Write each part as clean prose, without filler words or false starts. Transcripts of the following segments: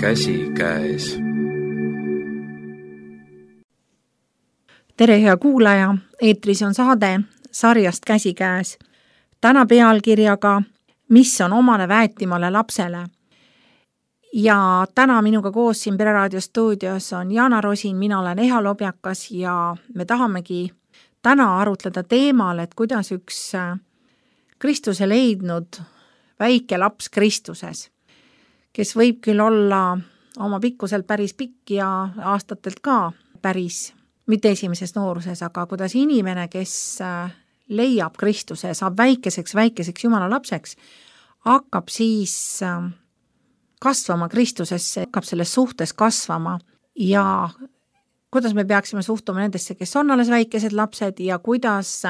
käsikäes. Tere, hea kuulaja! Eetris on saade sarjast Käsikäes. Täna pealkirjaga Mis on omane väetimale lapsele? Ja täna minuga koos siin Pereraadio stuudios on Jaana Rosin, mina olen Eha Lobjakas ja me tahamegi täna arutleda teemal, et kuidas üks Kristuse leidnud väike laps Kristuses, kes võib küll olla oma pikkuselt päris pikk ja aastatelt ka päris, mitte esimeses nooruses, aga kuidas inimene, kes leiab Kristuse, saab väikeseks Jumala lapseks, hakkab siis kasvama Kristusesse, hakkab selles suhtes kasvama ja kuidas me peaksime suhtuma nendesse, kes on alles väikesed lapsed ja kuidas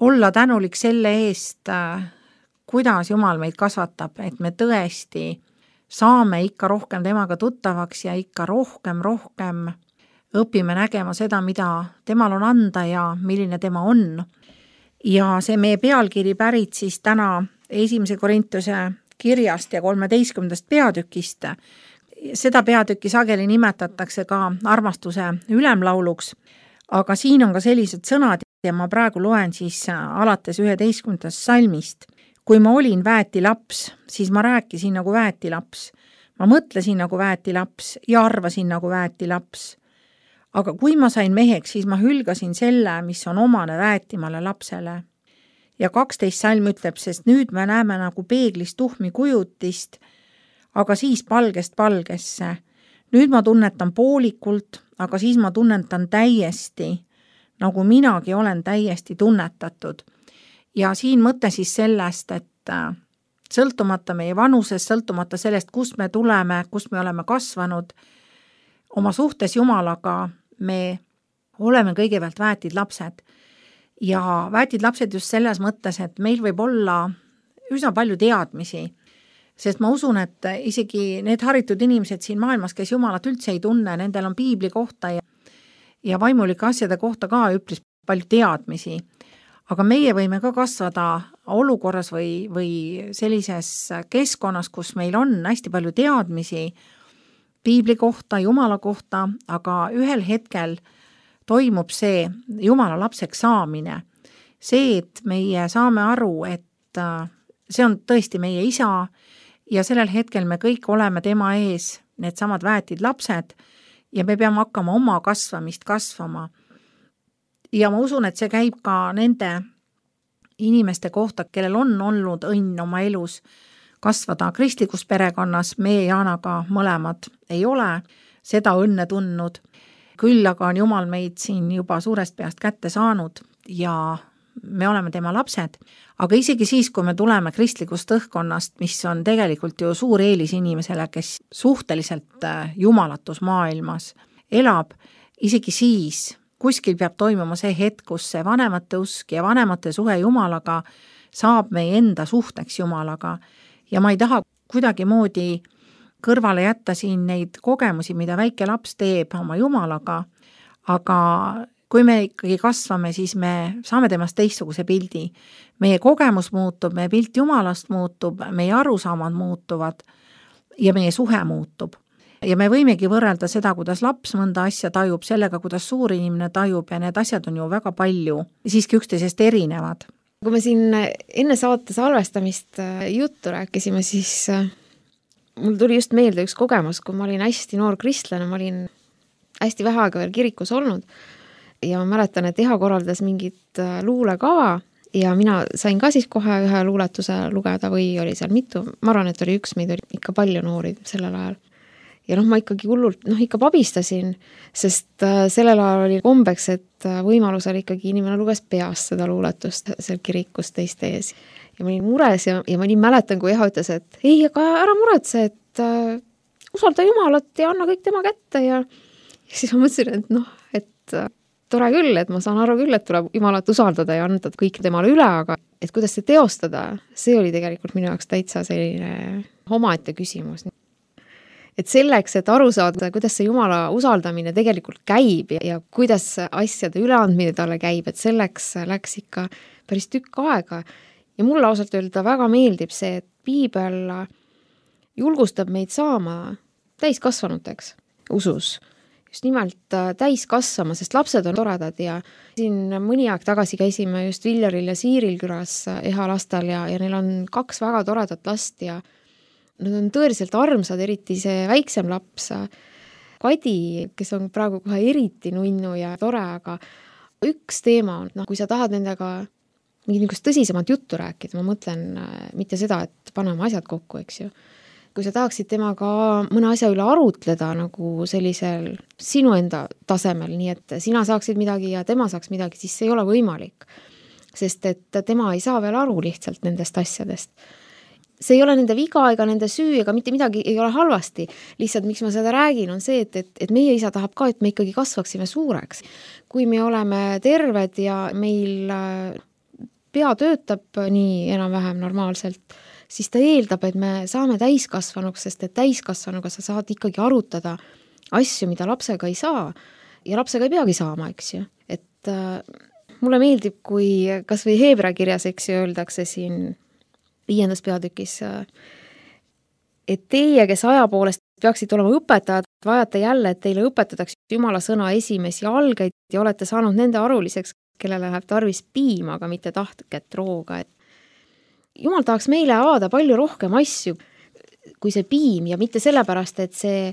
olla tänulik selle eest, kuidas Jumal meid kasvatab, et me tõesti saame ikka rohkem temaga tuttavaks ja ikka rohkem õpime nägema seda, mida temal on anda ja milline tema on. Ja see meie pealkiri pärit siis täna 1. Korintuse kirjast ja 13. peatükist. Seda peatükki sageli nimetatakse ka armastuse ülemlauluks, aga siin on ka sellised sõnad ja ma praegu loen siis alates 11. salmist. Kui ma olin väetilaps, siis ma rääkisin nagu väetilaps. Ma mõtlesin nagu väetilaps ja arvasin nagu väetilaps. Aga kui ma sain meheks, siis ma hülgasin selle, mis on omane väetimale lapsele. Ja 12 salm ütleb, sest nüüd me näeme nagu peeglist tuhmi kujutist, aga siis palgest palgesse. Nüüd ma tunnetan poolikult, aga siis ma tunnetan täiesti, nagu minagi olen täiesti tunnetatud. Ja siin mõte siis sellest, et sõltumata meie vanusest, sõltumata sellest, kust me tuleme, kust me oleme kasvanud, oma suhtes Jumalaga me oleme kõigepealt väetid lapsed. Ja väetid lapsed just selles mõttes, et meil võib olla üsna palju teadmisi, sest ma usun, et isegi need haritud inimesed siin maailmas, kes Jumalat üldse ei tunne, nendel on piibli kohta ja vaimulike asjade kohta ka üpris palju teadmisi. Aga meie võime ka kasvada olukorras või sellises keskkonnas, kus meil on hästi palju teadmisi piibli kohta, Jumala kohta, aga ühel hetkel toimub see Jumala lapseks saamine. See, et meie saame aru, et see on tõesti meie isa ja sellel hetkel me kõik oleme tema ees, need samad väetid lapsed ja me peame hakkama oma kasvamist kasvama. Ja ma usun, et see käib ka nende inimeste kohta, kellel on olnud õnn oma elus kasvada kristlikus perekonnas. Meie Jaanaga mõlemad ei ole seda õnne tundnud. Küll aga on Jumal meid siin juba suurest peast kätte saanud ja me oleme tema lapsed. Aga isegi siis, kui me tuleme kristlikust õhkkonnast, mis on tegelikult ju suur eelis inimesele, kes suhteliselt jumalatus maailmas elab, isegi siis kuskil peab toimuma see hetk, kus see vanemate usk ja vanemate suhe Jumalaga saab meie enda suhteks Jumalaga. Ja ma ei taha kuidagi moodi kõrvale jätta siin neid kogemusi, mida väike laps teeb oma Jumalaga, aga kui me ikkagi kasvame, siis me saame temast teistsuguse pildi. Meie kogemus muutub, meie pilt Jumalast muutub, meie arusaamad muutuvad ja meie suhe muutub. Ja me võimegi võrrelda seda, kuidas laps mõnda asja tajub, sellega, kuidas suur inimene tajub ja need asjad on ju väga palju siiski üksteisest erinevad. Kui me siin enne saate salvestamist juttu rääkisime, siis mul tuli just meelde üks kogemus, kui ma olin hästi noor kristlane, ma olin hästi vähe aega veel kirikus olnud ja ma mäletan, et Eha korraldas mingit luulekava ja mina sain ka siis kohe ühe luuletuse lugeda või oli seal mitu, ma arvan, et oli üks, meid oli ikka palju noori sellel ajal. Ja ma ikkagi hullult, ikka pabistasin, sest sellel ajal oli kombeks, et võimalusel ikkagi inimene luges peast seda luuletust seal kirikus teiste ees. Ja ma olin mures ja ma nii mäletan, kui Eha ütles, et ei, aga ära muretse, et usalda Jumalat ja anna kõik tema kätte ja siis ma mõtlesin, et et tore küll, et ma saan aru küll, et tuleb Jumalat usaldada ja anda kõik temale üle, aga et kuidas see teostada, see oli tegelikult minu jaoks täitsa selline omaette küsimus. Et selleks, et aru saada, kuidas see Jumala usaldamine tegelikult käib ja kuidas asjade üleandmine talle käib, et selleks läks ikka päris tükk aega. Ja mulle ausalt öelda väga meeldib see, et piibel julgustab meid saama täiskasvanuteks usus. Just nimelt täiskasvama, sest lapsed on toredad ja siin mõni aeg tagasi käisime just Viljaril ja Siiril külas Eha lastel ja neil on 2 väga toredat last ja nad on tõeliselt armsad, eriti see väiksem laps, Kadi, kes on praegu kohe eriti nunnu ja tore, aga üks teema on, kui sa tahad nendega mingit niisugust tõsisemat juttu rääkida, ma mõtlen mitte seda, et paneme asjad kokku, eks ju. Kui sa tahaksid temaga mõne asja üle arutleda nagu sellisel sinu enda tasemel, nii et sina saaksid midagi ja tema saaks midagi, siis see ei ole võimalik. Sest et tema ei saa veel aru lihtsalt nendest asjadest. See ei ole nende viga ega nende süü ega mitte midagi ei ole halvasti. Lihtsalt miks ma seda räägin on see, et meie isa tahab ka, et me ikkagi kasvaksime suureks. Kui me oleme terved ja meil pea töötab nii enam-vähem normaalselt, siis ta eeldab, et me saame täiskasvanuks, sest et täiskasvanuga sa saad ikkagi arutada asju, mida lapsega ei saa ja lapsega ei peagi saama, eks ju. Et mulle meeldib, kui kas või Heebra kirjas, eks ju, öeldakse siin 5. peatükis, et teie, kes aja poolest peaksid olema õpetajad, vajate jälle, et teile õpetatakse Jumala sõna esimesi algeid ja olete saanud nende aruliseks, kellele läheb tarvis piima, aga mitte tahtket rooga, et Jumal tahaks meile avada palju rohkem asju kui see piim ja mitte sellepärast, et see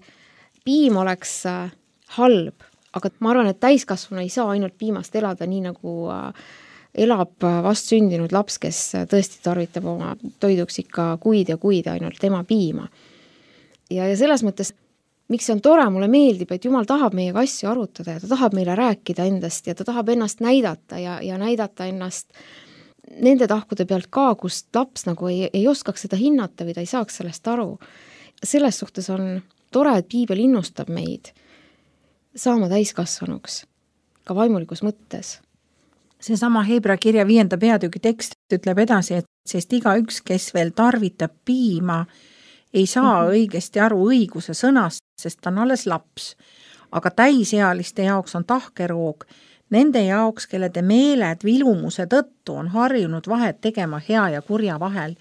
piim oleks halb, aga ma arvan, et täiskasvanu ei saa ainult piimast elada nii, nagu elab vast sündinud laps, kes tõesti tarvitab oma toiduks ikka kuid ja kuid ainult tema piima. Ja selles mõttes, miks see on tore, mulle meeldib, et Jumal tahab meiega asju arutada ja ta tahab meile rääkida endast ja ta tahab ennast näidata ja näidata ennast nende tahkude pealt ka, kust laps nagu ei oskaks seda hinnata või ta ei saaks sellest aru. Selles suhtes on tore, et Piibel innustab meid saama täiskasvanuks ka vaimulikus mõttes. See sama Heebra kirja 5. peatüki tekst ütleb edasi, et sest igaüks, kes veel tarvitab piima, ei saa õigesti aru õiguse sõnast, sest ta on alles laps. Aga täisealiste jaoks on tahkeroog, nende jaoks, kellede meeled vilumuse tõttu on harjunud vahet tegema hea ja kurja vahel.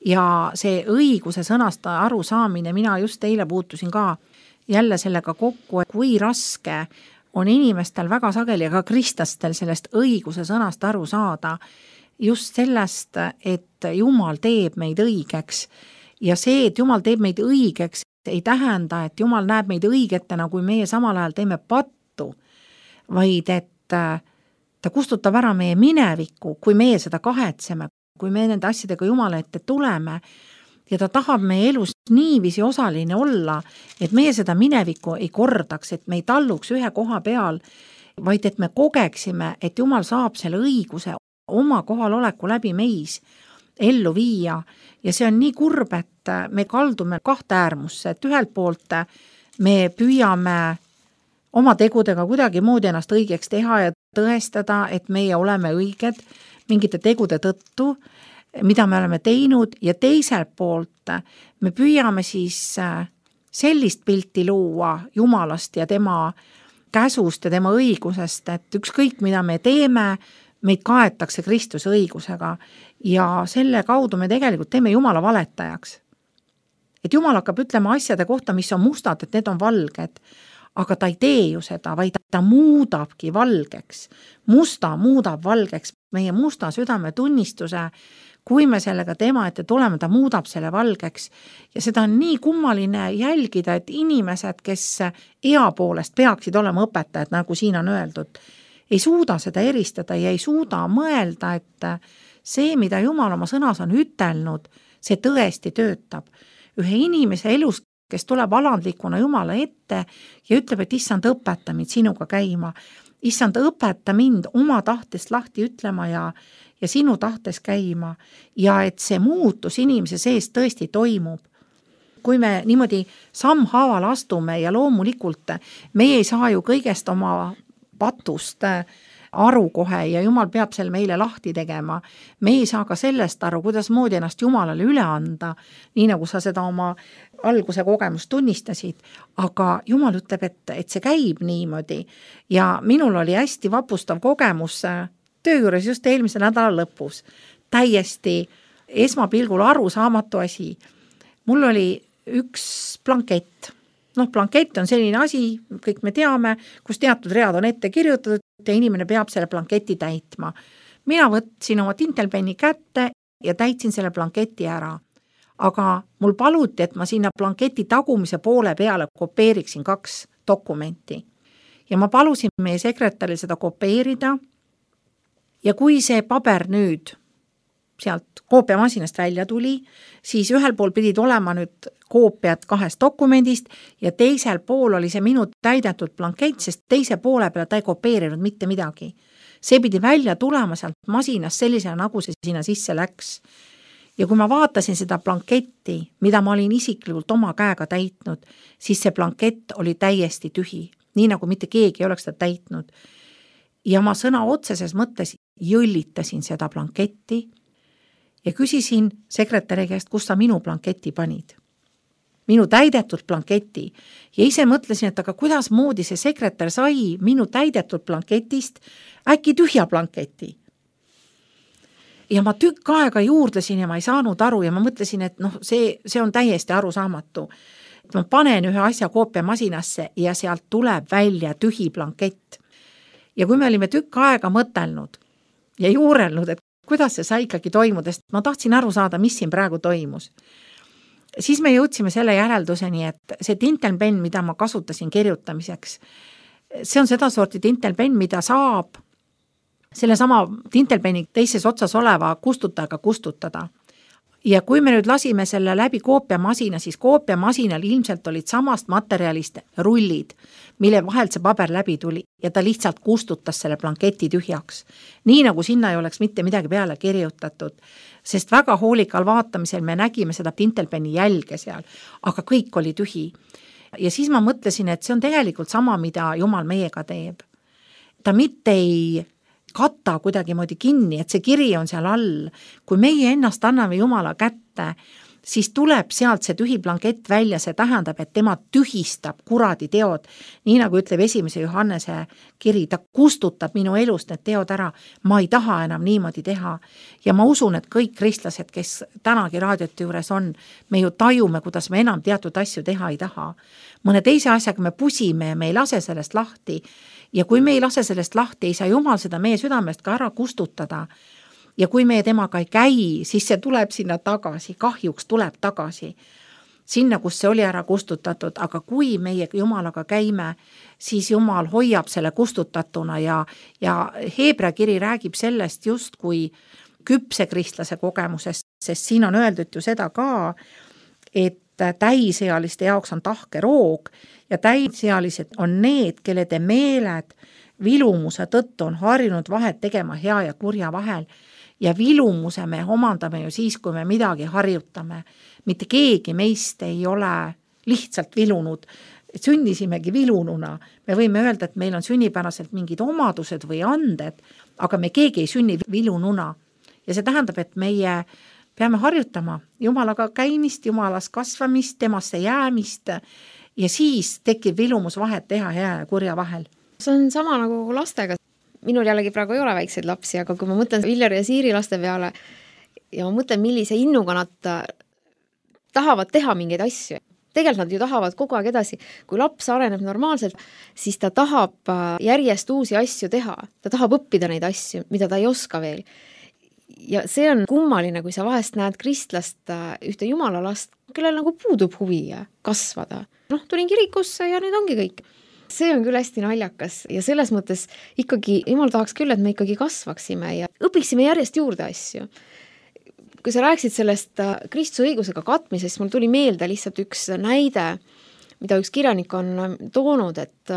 Ja see õiguse sõnast aru saamine, mina just eile puutusin ka jälle sellega kokku, kui raske on inimestel väga sageli ja ka kristlastel sellest õiguse sõnast aru saada. Just sellest, et Jumal teeb meid õigeks. Ja see, et Jumal teeb meid õigeks, ei tähenda, et Jumal näeb meid õigetena, kui meie samal ajal teeme pattu, vaid et ta kustutab ära meie minevikku, kui meie seda kahetseme, kui me nende asjadega Jumala ette tuleme ja ta tahab meie elus niiviisi osaline olla, et meie seda minevikku ei kordaks, et me ei talluks ühe koha peal, vaid et me kogeksime, et Jumal saab selle õiguse oma kohaloleku läbi meis ellu viia ja see on nii kurb, et me kaldume 2 äärmusse, et ühelt poolt me püüame oma tegudega kuidagi moodi ennast õigeks teha ja tõestada, et meie oleme õiged mingite tegude tõttu, mida me oleme teinud ja teiselt poolt me püüame siis sellist pilti luua Jumalast ja tema käsust ja tema õigusest, et ükskõik mida me teeme, meid kaetakse Kristuse õigusega ja selle kaudu me tegelikult teeme Jumala valetajaks. Et Jumal hakkab ütlema asjade kohta, mis on mustad, et need on valged, aga ta ei tee ju seda, vaid ta muudabki valgeks. Musta muudab valgeks meie musta südame tunnistuse, kui me sellega tema ette tuleme, ta muudab selle valgeks. Ja seda on nii kummaline jälgida, et inimesed, kes ea poolest peaksid olema õpetajad, nagu siin on öeldud, ei suuda seda eristada ja ei suuda mõelda, et see, mida Jumal oma sõnas on ütelnud, see tõesti töötab. Ühe inimese elus, kes tuleb alandlikuna Jumala ette ja ütleb, et issand, õpeta mind sinuga käima. Issand, õpeta mind oma tahtest lahti ütlema ja sinu tahtes käima. Ja et see muutus inimese sees tõesti toimub. Kui me niimoodi sammhaaval astume ja loomulikult meie ei saa ju kõigest oma patust aru kohe ja Jumal peab selle meile lahti tegema. Me ei saa ka sellest aru, kuidas moodi ennast Jumalale üle anda, nii nagu sa seda oma alguse kogemust tunnistasid, aga Jumal ütleb, et see käib niimoodi ja minul oli hästi vapustav kogemus töö juures just eelmise nädala lõpus. Täiesti esmapilgul arusaamatu asi. Mul oli üks blankett blankett on selline asi, kõik me teame, kus teatud read on ette kirjutatud ja inimene peab selle blanketi täitma. Mina võtsin oma tintelpenni kätte ja täitsin selle blanketi ära. Aga mul paluti, et ma sinna blanketi tagumise poole peale kopeeriksin 2 dokumenti. Ja ma palusin meie sekretäril seda kopeerida ja kui see paber nüüd sealt koopiamasinast välja tuli, siis ühel pool pidid olema nüüd koopiad 2 dokumendist ja teisel pool oli see minu täidetud blankett, sest teise poole peale ta ei kopeerinud mitte midagi. See pidi välja tulema sealt masinast sellisena, nagu see sinna sisse läks. Ja kui ma vaatasin seda blanketti, mida ma olin isiklikult oma käega täitnud, siis see blankett oli täiesti tühi, nii nagu mitte keegi ei oleks seda täitnud. Ja ma sõna otseses mõttes jõllitasin seda blanketti ja küsisin sekretäri käest, kus sa minu blanketi panid. Minu täidetud blanketi. Ja ise mõtlesin, et aga kuidas moodi see sekretär sai minu täidetud blanketist äkki tühja blanketi. Ja ma tükk aega juurdlesin ja ma ei saanud aru ja ma mõtlesin, et see on täiesti arusaamatu. Ma panen ühe asja koopiamasinasse ja sealt tuleb välja tühi blankett. Ja kui me olime tükk aega mõtelnud ja juurelnud, et kuidas see sai ikkagi toimuda, sest ma tahtsin aru saada, mis siin praegu toimus. Siis me jõudsime selle järelduseni, et see tintelpenn, mida ma kasutasin kirjutamiseks, see on seda sorti tintelpenn, mida saab selle sama tintelpenni teises otsas oleva kustutajaga kustutada. Ja kui me nüüd lasime selle läbi koopiamasina, siis koopiamasinal ilmselt olid samast materjalist rullid, mille vahelt see paber läbi tuli ja ta lihtsalt kustutas selle blanketi tühjaks. Nii nagu sinna ei oleks mitte midagi peale kirjutatud, sest väga hoolikal vaatamisel me nägime seda tintelpenni jälge seal, aga kõik oli tühi. Ja siis ma mõtlesin, et see on tegelikult sama, mida Jumal meiega teeb. Ta mitte ei katta kuidagi moodi kinni, et see kiri on seal all. Kui meie ennast anname Jumala kätte, siis tuleb sealt see tühi blankett välja, see tähendab, et tema tühistab kuradi teod. Nii nagu ütleb 1. Johannese kiri, ta kustutab minu elust need teod ära. Ma ei taha enam niimoodi teha. Ja ma usun, et kõik kristlased, kes tänagi raadiote juures on, me ju tajume, kuidas me enam teatud asju teha ei taha. Mõne teise asjaga me pusime ja me ei lase sellest lahti. Ja kui me ei lase sellest lahti, ei saa Jumal seda meie südamest ka ära kustutada. Ja kui me temaga ei käi, siis see tuleb sinna tagasi, kahjuks tuleb tagasi. Sinna, kus see oli ära kustutatud, aga kui meie Jumalaga käime, siis Jumal hoiab selle kustutatuna ja Heebrea kiri räägib sellest just kui küpse kristlase kogemusest, sest siin on öeldud ju seda ka, et täisealiste jaoks on tahke roog ja täisealised on need, kelle te meeled vilumuse tõttu on harjunud vahet tegema hea ja kurja vahel. Ja vilumuse me omandame ju siis, kui me midagi harjutame. Mitte keegi meist ei ole lihtsalt vilunud. Sünnisimegi vilununa. Me võime öelda, et meil on sünnipäraselt mingid omadused või anded, aga me keegi ei sünni vilununa. Ja see tähendab, et meie peame harjutama Jumalaga käimist, Jumalas kasvamist, temasse jäämist ja siis tekib vilumus vahet teha hea ja kurja vahel. See on sama nagu lastega. Minul jällegi praegu ei ole väikseid lapsi, aga kui ma mõtlen Viljar ja Siiri laste peale ja ma mõtlen, millise innuga nad tahavad teha mingeid asju. Tegelikult nad ju tahavad kogu aeg edasi. Kui laps areneb normaalselt, siis ta tahab järjest uusi asju teha. Ta tahab õppida neid asju, mida ta ei oska veel. Ja see on kummaline, kui sa vahest näed kristlast ühte Jumala last, kellel nagu puudub huvi kasvada. Tulin kirikusse ja nüüd ongi kõik. See on küll hästi naljakas ja selles mõttes ikkagi Jumal tahaks küll, et me ikkagi kasvaksime ja õpiksime järjest juurde asju. Kui sa rääksid sellest Kristuse õigusega katmisest, siis mul tuli meelde lihtsalt üks näide, mida üks kirjanik on toonud, et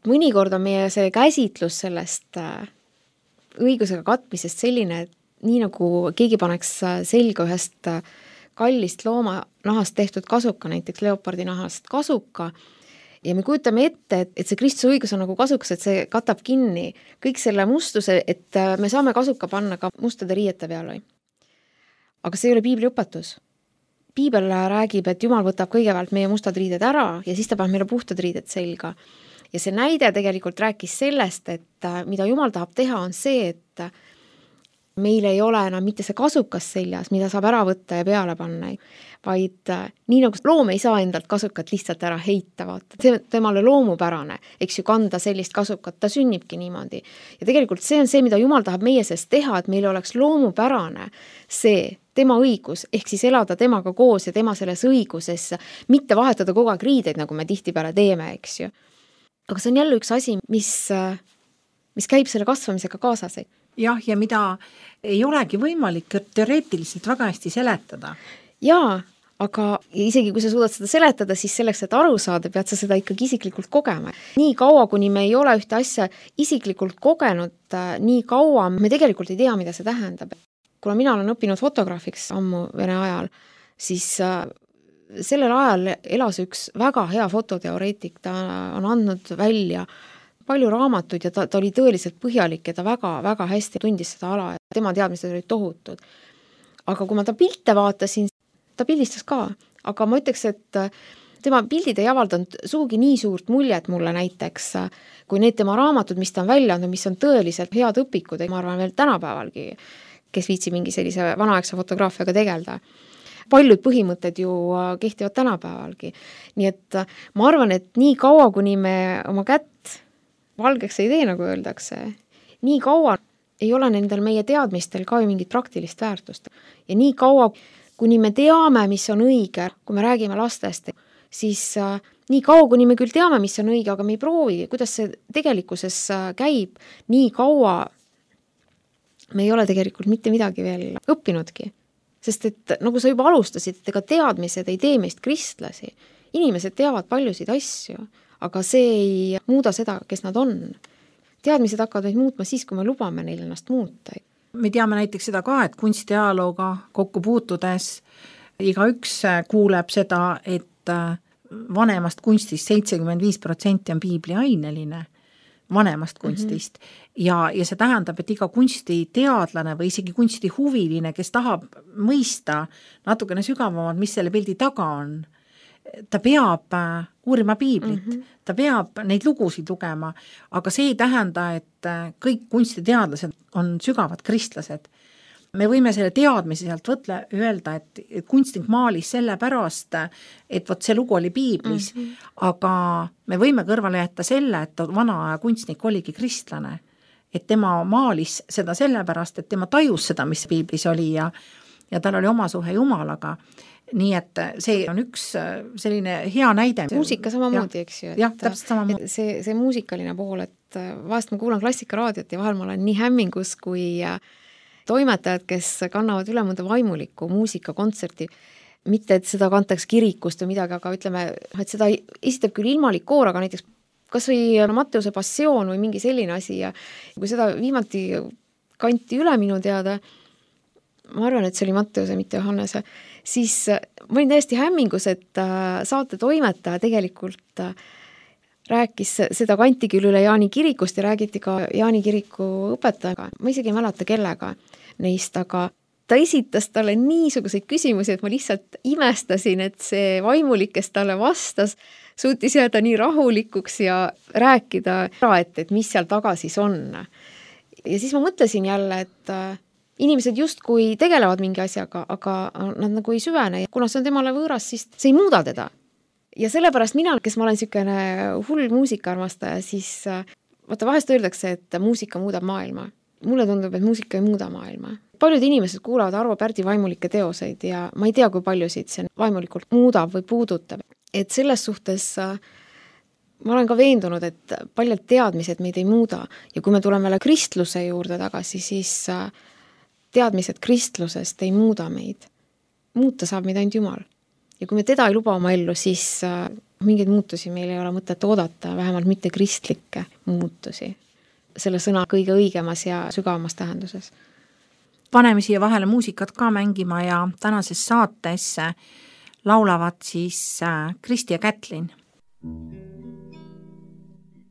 mõnikord on meie see käsitlus sellest õigusega katmisest selline, et nii nagu keegi paneks selga ühest kallist looma nahast tehtud kasuka, näiteks leopardi nahast kasuka, ja me kujutame ette, et see Kristuse õigus on nagu kasukas, et see katab kinni kõik selle mustuse, et me saame kasuka panna ka mustade riiete peale. Aga see ei ole piibli õpetus. Piibel räägib, et Jumal võtab kõigepealt meie mustad riided ära ja siis ta paneb meile puhtad riided selga. Ja see näide tegelikult rääkis sellest, et mida Jumal tahab teha, on see, meil ei ole enam mitte see kasukas seljas, mida saab ära võtta ja peale panna, vaid nii nagu loom ei saa endalt kasukat lihtsalt ära heita, vaata. See temale loomupärane, eks ju, kanda sellist kasukat, ta sünnibki niimoodi. Ja tegelikult see on see, mida Jumal tahab meie seest teha, et meil oleks loomupärane see tema õigus, ehk siis elada temaga koos ja tema selles õiguses, mitte vahetada kogu aeg riideid, nagu me tihtipeale teeme, eks ju. Aga see on jälle üks asi, mis käib selle kasvamisega kaasas. Jah, ja mida ei olegi võimalik teoreetiliselt väga hästi seletada. Jaa, aga isegi kui sa suudad seda seletada, siis selleks, et aru saada, pead sa seda ikkagi isiklikult kogema. Nii kaua, kuni me ei ole ühte asja isiklikult kogenud, nii kaua me tegelikult ei tea, mida see tähendab. Kuna mina olen õppinud fotograafiks ammu Vene ajal, siis sellel ajal elas üks väga hea fototeoreetik, ta on andnud välja palju raamatuid ja ta oli tõeliselt põhjalik ja ta väga hästi tundis seda ala ja tema teadmised olid tohutud. Aga kui ma ta pilte vaatasin, ta pildistas ka, aga ma ütleks, et tema pildid ei avaldanud sugugi nii suurt muljet mulle näiteks, kui need tema raamatud, mis ta on välja andnud, mis on tõeliselt head õpikud, ma arvan veel tänapäevalgi, kes viitsi mingi sellise vanaaegse fotograafiaga tegelda. Paljud põhimõtted ju kehtivad tänapäevalgi. Nii et ma arvan, et nii kaua, kuni me oma kätt valgeks ei tee, nagu öeldakse, nii kaua ei ole nendel meie teadmistel ka ju mingit praktilist väärtust. Ja nii kaua, kuni me teame, mis on õige, kui me räägime lastest, siis nii kaua, kuni me küll teame, mis on õige, aga me ei proovi, kuidas see tegelikkuses käib, nii kaua me ei ole tegelikult mitte midagi veel õppinudki. Sest et nagu sa juba alustasid, et ega teadmised ei tee meist kristlasi. Inimesed teavad paljusid asju, aga see ei muuda seda, kes nad on. Teadmised hakkavad meid muutma siis, kui me lubame neil ennast muuta. Me teame näiteks seda ka, et kunstiajalooga kokku puutudes igaüks kuuleb seda, et vanemast kunstist 75% on piibliaineline, vanemast kunstist. Ja see tähendab, et iga kunstiteadlane või isegi kunstihuviline, kes tahab mõista natukene sügavamalt, mis selle pildi taga on, ta peab uurima piiblit, ta peab neid lugusid lugema, aga see ei tähenda, et kõik kunstiteadlased on sügavad kristlased. Me võime selle teadmise sealt öelda, et kunstnik maalis selle pärast, et võt see lugu oli piiblis, aga me võime kõrvale jätta selle, et vana aja kunstnik oligi kristlane, et tema maalis seda sellepärast, et tema tajus seda, mis piiblis oli ja tal oli oma suhe Jumalaga. Nii et see on üks selline hea näide. Muusika samamoodi, eks ju. Jah, täpselt samamoodi. See muusikaline pool, et vahest ma kuulan klassikaraadiot ja vahel ma olen nii hämmingus, kui toimetajad, kes kannavad üle mõnda vaimulikku muusikakontserti, mitte et seda kantaks kirikust või midagi, aga ütleme, et seda esitab küll ilmalik koor, aga näiteks kas või Matteuse passioon või mingi selline asi ja kui seda viimati kanti üle minu teada, ma arvan, et see oli Matteuse, mitte Johannese, siis ma olin täiesti hämmingus, et saate toimetaja tegelikult rääkis seda kanti küll üle Jaani kirikust ja räägiti ka Jaani kiriku õpetajaga. Ma isegi ei mäleta kellega neist, aga ta esitas talle niisuguseid küsimusi, et ma lihtsalt imestasin, et see vaimulik, kes talle vastas, suutis jääda nii rahulikuks ja rääkida, et mis seal taga siis on. Ja siis ma mõtlesin jälle, et inimesed justkui tegelevad mingi asjaga, aga nad nagu ei süvene. Kuna see on temale võõras, siis see ei muuda teda. Ja sellepärast mina, kes ma olen niisugune hull muusikaarmastaja, siis vaata vahest öeldakse, et muusika muudab maailma. Mulle tundub, et muusika ei muuda maailma. Paljud inimesed kuulavad Arvo Pärdi vaimulikke teoseid ja ma ei tea, kui paljusid see vaimulikult muudab või puudutab. Et selles suhtes ma olen ka veendunud, et paljud teadmised meid ei muuda ja kui me tuleme kristluse juurde tagasi, siis teadmised kristlusest ei muuda meid. Muuta saab meid ainult Jumal. Ja kui me teda ei luba oma ellu, siis mingeid muutusi meil ei ole mõtet oodata, vähemalt mitte kristlikke muutusi. Selle sõna kõige õigemas ja sügavamas tähenduses. Paneme siia vahele muusikat ka mängima ja tänases saates laulavad siis Kristi ja Kätlin.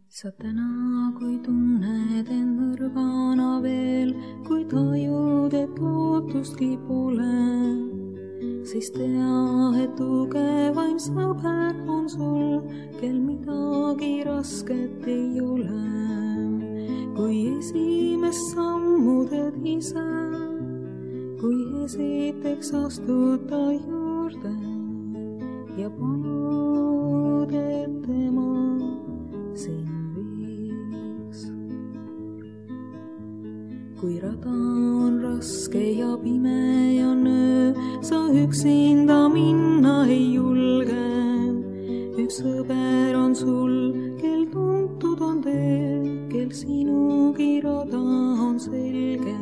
Sa täna, kui tunned end nõrgana veel, kui tajud, et lootustki pole, siis tea, et tugevaim sõber on sul, kel midagi rasket ei ole. kui esimest sammu teed ise, kui esiteks astud ta juurde ja panud, et tema sind viiks. Kui rada on raske ja pime ja nöö, sa üksinda minna ei julge. Üks sõber on sul, kel tuntud on tee, kel sinugi rada on selge.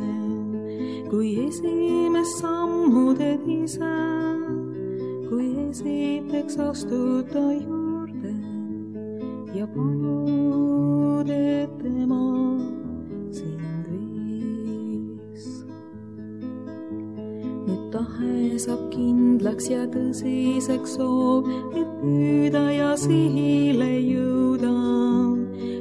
Kui esimest sammu teed ise, kui esiteks astud ta juurde ja panud, et tema sind viis. Nüüd tahe saab kindlaks ja tõsiseks soov, et püüda ja sihile jõuda.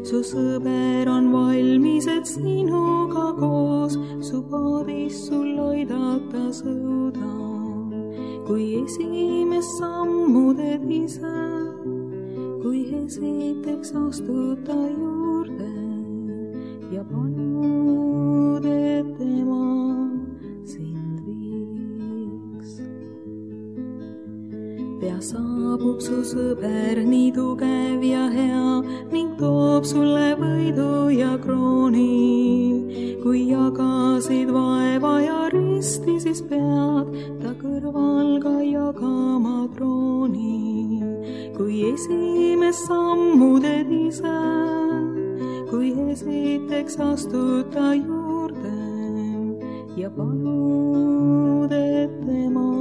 Su sõber on valmis, et sinuga koos su paadis sul aidata sõuda. Kui esimest sammu teed ise, kui esiteks astud ta juurde ja panud, et tema sind viiks. Pea saabub su sõber nii tugev ja hea ning toob sulle võidu ja krooni. Kui jagasid vaeva ja risti, siis pead ta kõrval ka jagama trooni. Kui esimest sammu teed ise, kui esiteks astud ta juurde ja panud, et tema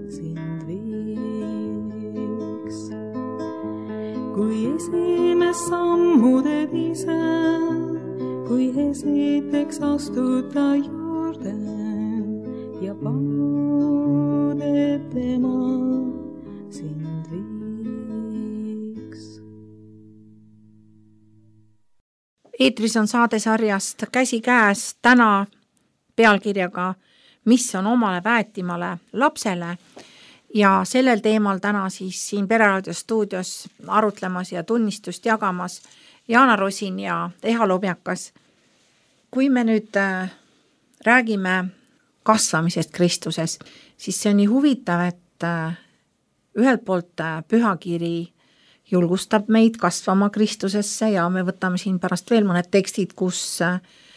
sind viiks. Kui esimest sammu teed ise, kui esiteks astud ta juurde ja panud, et tema sind viiks. Eetris on saadesarjast Käsikäes täna pealkirjaga Mis on omale väetimale lapsele ja sellel teemal täna siis siin Pereraadio stuudios arutlemas ja tunnistust jagamas Jaana Rosin ja Eha Lobjakas. Kui me nüüd räägime kasvamisest Kristuses, siis see on nii huvitav, et ühelt poolt pühakiri julgustab meid kasvama Kristusesse ja me võtame siin pärast veel mõned tekstid, kus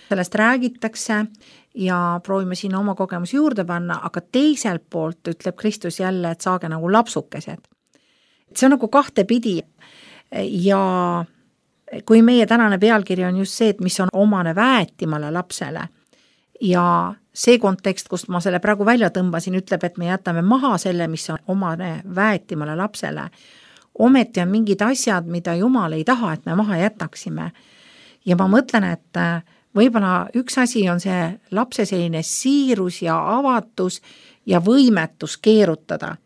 sellest räägitakse ja proovime siin oma kogemusi juurde panna, aga teiselt poolt ütleb Kristus jälle, et saage nagu lapsukesed. See on nagu kahtepidi ja kui meie tänane pealkiri on just see, et mis on omane väetimale lapsele ja see kontekst, kust ma selle praegu välja tõmbasin, ütleb, et me jätame maha selle, mis on omane väetimale lapsele. Ometi on mingid asjad, mida Jumal ei taha, et me maha jätaksime. Ja ma mõtlen, et võib-olla üks asi on see lapse selline siirus ja avatus ja võimetus keerutada.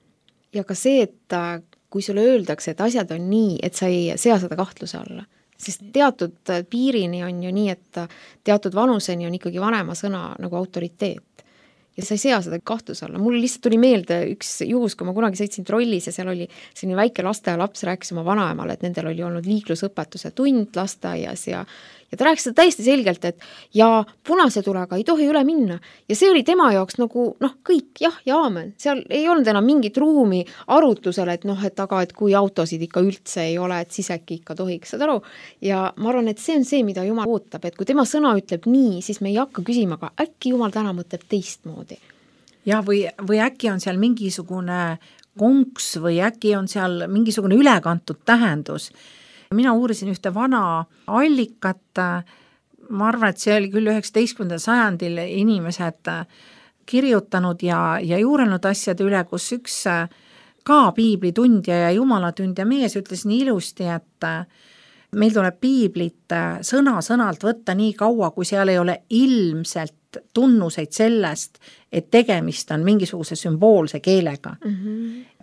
Ja ka see, et kui sulle öeldakse, et asjad on nii, et sa ei sea seda kahtluse alla. Sest teatud piirini on ju nii, et teatud vanuseni on ikkagi vanema sõna nagu autoriteet. Ja sa ei sea seda kahtluse alla. Mul lihtsalt tuli meelde üks juhus, kui ma kunagi sõitsin trollis ja seal oli selline väike lasteaialaps rääkis oma vanaemale, et nendel oli olnud liiklusõpetuse tund lasteaias ja ta rääkis seda täiesti selgelt, et ja punase tulega ei tohi üle minna. Ja see oli tema jaoks nagu kõik jah ja aamen. Seal ei olnud enam mingit ruumi arutusele, et et aga et kui autosid ikka üldse ei ole, et siis äkki ikka tohiks, saad aru. Ja ma arvan, et see on see, mida Jumal ootab, et kui tema sõna ütleb nii, siis me ei hakka küsima, aga äkki Jumal täna mõtleb teistmoodi. Ja või äkki on seal mingisugune konks või äkki on seal mingisugune ülekantud tähendus. Mina uurisin ühte vana allikat, ma arvan, et see oli küll 19. sajandil inimesed kirjutanud ja juurenud asjade üle, kus üks ka piiblitundja ja jumalatundja mees ütles nii ilusti, et meil tuleb piiblit sõna-sõnalt võtta nii kaua, kui seal ei ole ilmselt tunnuseid sellest, et tegemist on mingisuguse sümboolse keelega.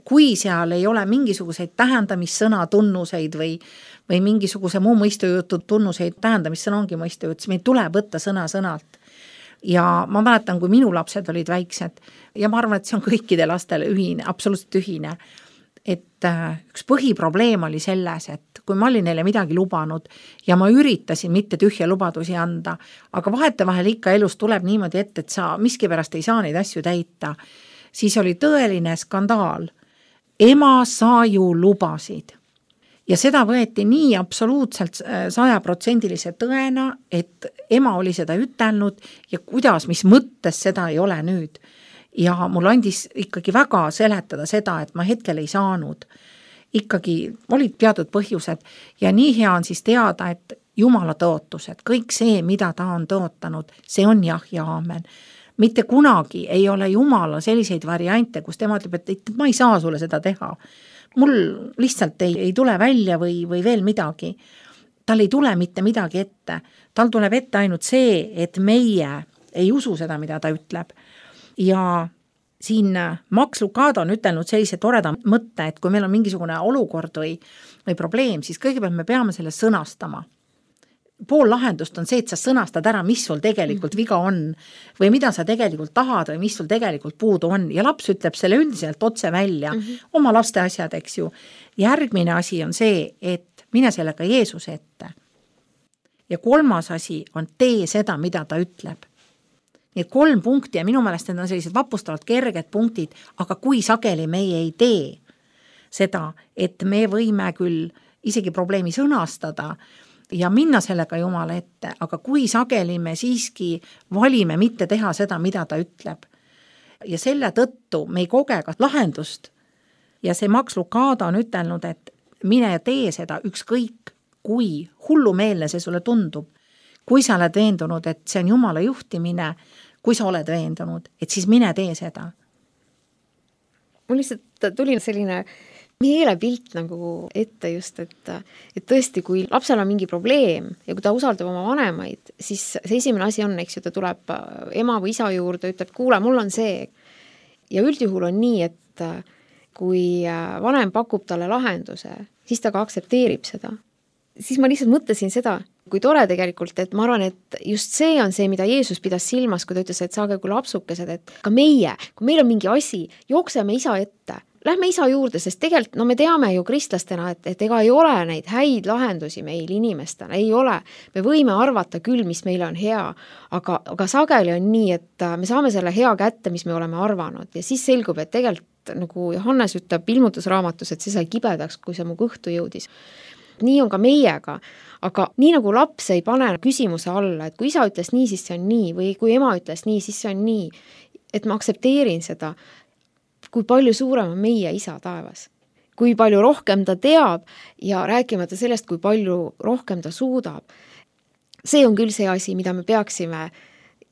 Kui seal ei ole mingisuguseid tähendamissõna tunnuseid või mingisuguse muu mõistujutu tunnuseid, tähendamissõna ongi mõistujut, siis meil tuleb võtta sõna-sõnalt. Ja ma mäletan, kui minu lapsed olid väiksed ja ma arvan, et see on kõikide lastele ühine, absoluutselt ühine. et üks põhiprobleem oli selles, et kui ma olin neile midagi lubanud ja ma üritasin mitte tühja lubadusi anda, aga vahetevahel ikka elus tuleb niimoodi ette, et sa miskipärast ei saa neid asju täita, siis oli tõeline skandaal. Ema, sa ju lubasid. Ja seda võeti nii absoluutselt 100% tõena, et ema oli seda ütelnud ja kuidas, mis mõttes seda ei ole nüüd. Ja mul andis ikkagi väga seletada seda, et ma hetkel ei saanud. Ikkagi olid teatud põhjused ja nii hea on siis teada, et Jumala tõotused, kõik see, mida ta on tõotanud, see on jah ja aamen. Mitte kunagi ei ole Jumala selliseid variante, kus tema ütleb, et ma ei saa sulle seda teha. Mul lihtsalt ei tule välja või veel midagi. Tal ei tule mitte midagi ette. Tal tuleb ette ainult see, et meie ei usu seda, mida ta ütleb. Ja siin Max Lucado on ütelnud sellise toreda mõtte, et kui meil on mingisugune olukord või probleem, siis kõigepealt me peame selle sõnastama. Pool lahendust on see, et sa sõnastad ära, mis sul tegelikult viga on või mida sa tegelikult tahad või mis sul tegelikult puudu on. Ja laps ütleb selle üldiselt otse välja, oma laste asjad, eks ju. Järgmine asi on see, et mine sellega Jeesuse ette. Ja 3. asi on tee seda, mida ta ütleb. Nii 3 punkti ja minu meelest need on sellised vapustavalt kerged punktid, aga kui sageli meie ei tee seda, et me võime küll isegi probleemi sõnastada ja minna sellega Jumala ette, aga kui sageli me siiski valime mitte teha seda, mida ta ütleb. Ja selle tõttu me ei koge ka lahendust. Ja see Max Lucado on ütelnud, et mine ja tee seda ükskõik, kui hullumeelne see sulle tundub. Kui sa oled veendunud, et see on Jumala juhtimine, kui sa oled veendunud, et siis mine tee seda. Mul lihtsalt tuli selline meelepilt nagu ette just, et tõesti, kui lapsel on mingi probleem ja kui ta usaldab oma vanemaid, siis see esimene asi on, eks ju, ta tuleb ema või isa juurde, ütleb, kuule, mul on see. Ja üldjuhul on nii, et kui vanem pakub talle lahenduse, siis ta ka aksepteerib seda. Siis ma lihtsalt mõtlesin seda, kui tore tegelikult, et ma arvan, et just see on see, mida Jeesus pidas silmas, kui ta ütles, et saage kui lapsukesed, et ka meie, kui meil on mingi asi, jookseme isa ette. Lähme isa juurde, sest tegelikult me teame ju kristlastena, et ega ei ole neid häid lahendusi meil inimestena, ei ole. Me võime arvata küll, mis meile on hea, aga sageli on nii, et me saame selle hea kätte, mis me oleme arvanud ja siis selgub, et tegelikult nagu Johannes ütleb ilmutusraamatus, et see sai kibedaks, kui see mu kõhtu jõudis. Nii on ka meiega, aga nii nagu laps ei pane küsimuse alla, et kui isa ütles nii, siis see on nii või kui ema ütles nii, siis see on nii, et ma aksepteerin seda, kui palju suurem on meie isa taevas, kui palju rohkem ta teab ja rääkimata sellest, kui palju rohkem ta suudab. See on küll see asi, mida me peaksime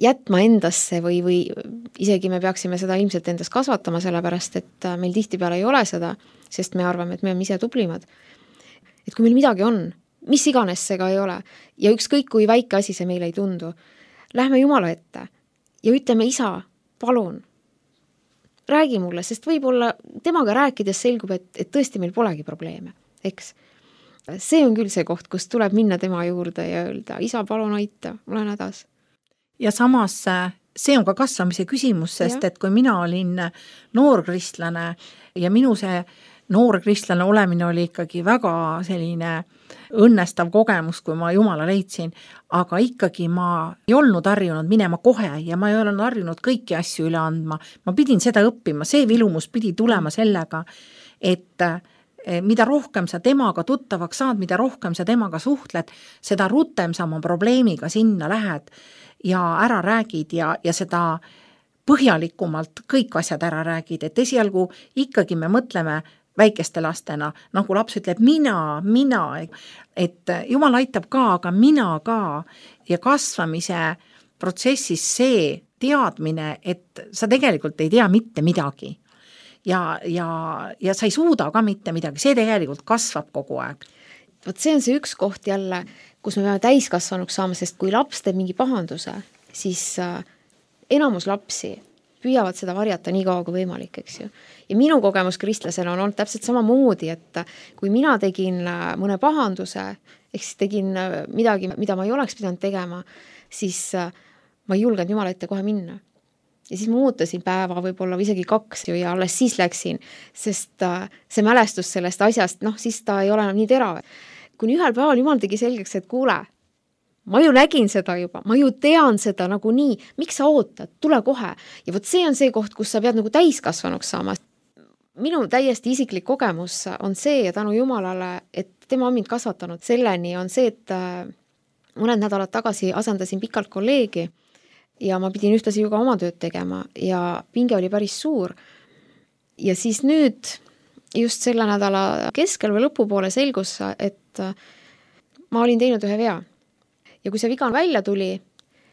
jätma endasse või isegi me peaksime seda ilmselt endas kasvatama, sellepärast et meil tihtipeale ei ole seda, sest me arvame, et me oleme ise tublimad. Et kui meil midagi on, mis iganes see ka ei ole ja ükskõik kui väike asi see meile ei tundu, lähme Jumala ette ja ütleme, isa, palun, räägi mulle, sest võib-olla temaga rääkides selgub, et tõesti meil polegi probleeme, eks. See on küll see koht, kus tuleb minna tema juurde ja öelda, isa, palun aita, olen hädas. Ja samas see on ka kasvamise küsimus, sest et kui mina olin noorkristlane ja minu see noorkristlane olemine oli ikkagi väga selline õnnestav kogemus, kui ma Jumala leidsin, aga ikkagi ma ei olnud harjunud minema kohe ja ma ei olnud harjunud kõiki asju üle andma. Ma pidin seda õppima, see vilumus pidi tulema sellega, et mida rohkem sa temaga tuttavaks saad, mida rohkem sa temaga suhtled, seda rutem sa oma probleemiga sinna lähed ja ära räägid ja seda põhjalikumalt kõik asjad ära räägid, et esialgu ikkagi me mõtleme väikeste lastena, nagu laps ütleb mina, et Jumal aitab ka, aga mina ka ja kasvamise protsessis see teadmine, et sa tegelikult ei tea mitte midagi ja sa ei suuda ka mitte midagi, see tegelikult kasvab kogu aeg. Vot see on see üks koht jälle, kus me peame täiskasvanuks saama, sest kui laps teeb mingi pahanduse, siis enamus lapsi püüavad seda varjata nii kaua kui võimalik, eks ju. Ja minu kogemus kristlasena on olnud täpselt samamoodi, et kui mina tegin mõne pahanduse, ehk siis tegin midagi, mida ma ei oleks pidanud tegema, siis ma ei julgenud Jumala ette kohe minna. ja siis ma ootasin päeva võib-olla või isegi 2 ja alles siis läksin, sest see mälestus sellest asjast, siis ta ei ole enam nii terav. Kuni ühel päeval Jumal tegi selgeks, et kuule, ma ju nägin seda juba, ma ju tean seda nagu nii, miks sa ootad, tule kohe. Ja võt see on see koht, kus sa pead nagu täiskasvanuks saama. Minu täiesti isiklik kogemus on see ja tänu Jumalale, et tema on mind kasvatanud selleni, on see, et mõned nädalad tagasi asendasin pikalt kolleegi ja ma pidin ühtlasi ju ka oma tööd tegema ja pinge oli päris suur. Ja siis nüüd just selle nädala keskel või lõpupoole selgus, et ma olin teinud ühe vea. Ja kui see viga välja tuli,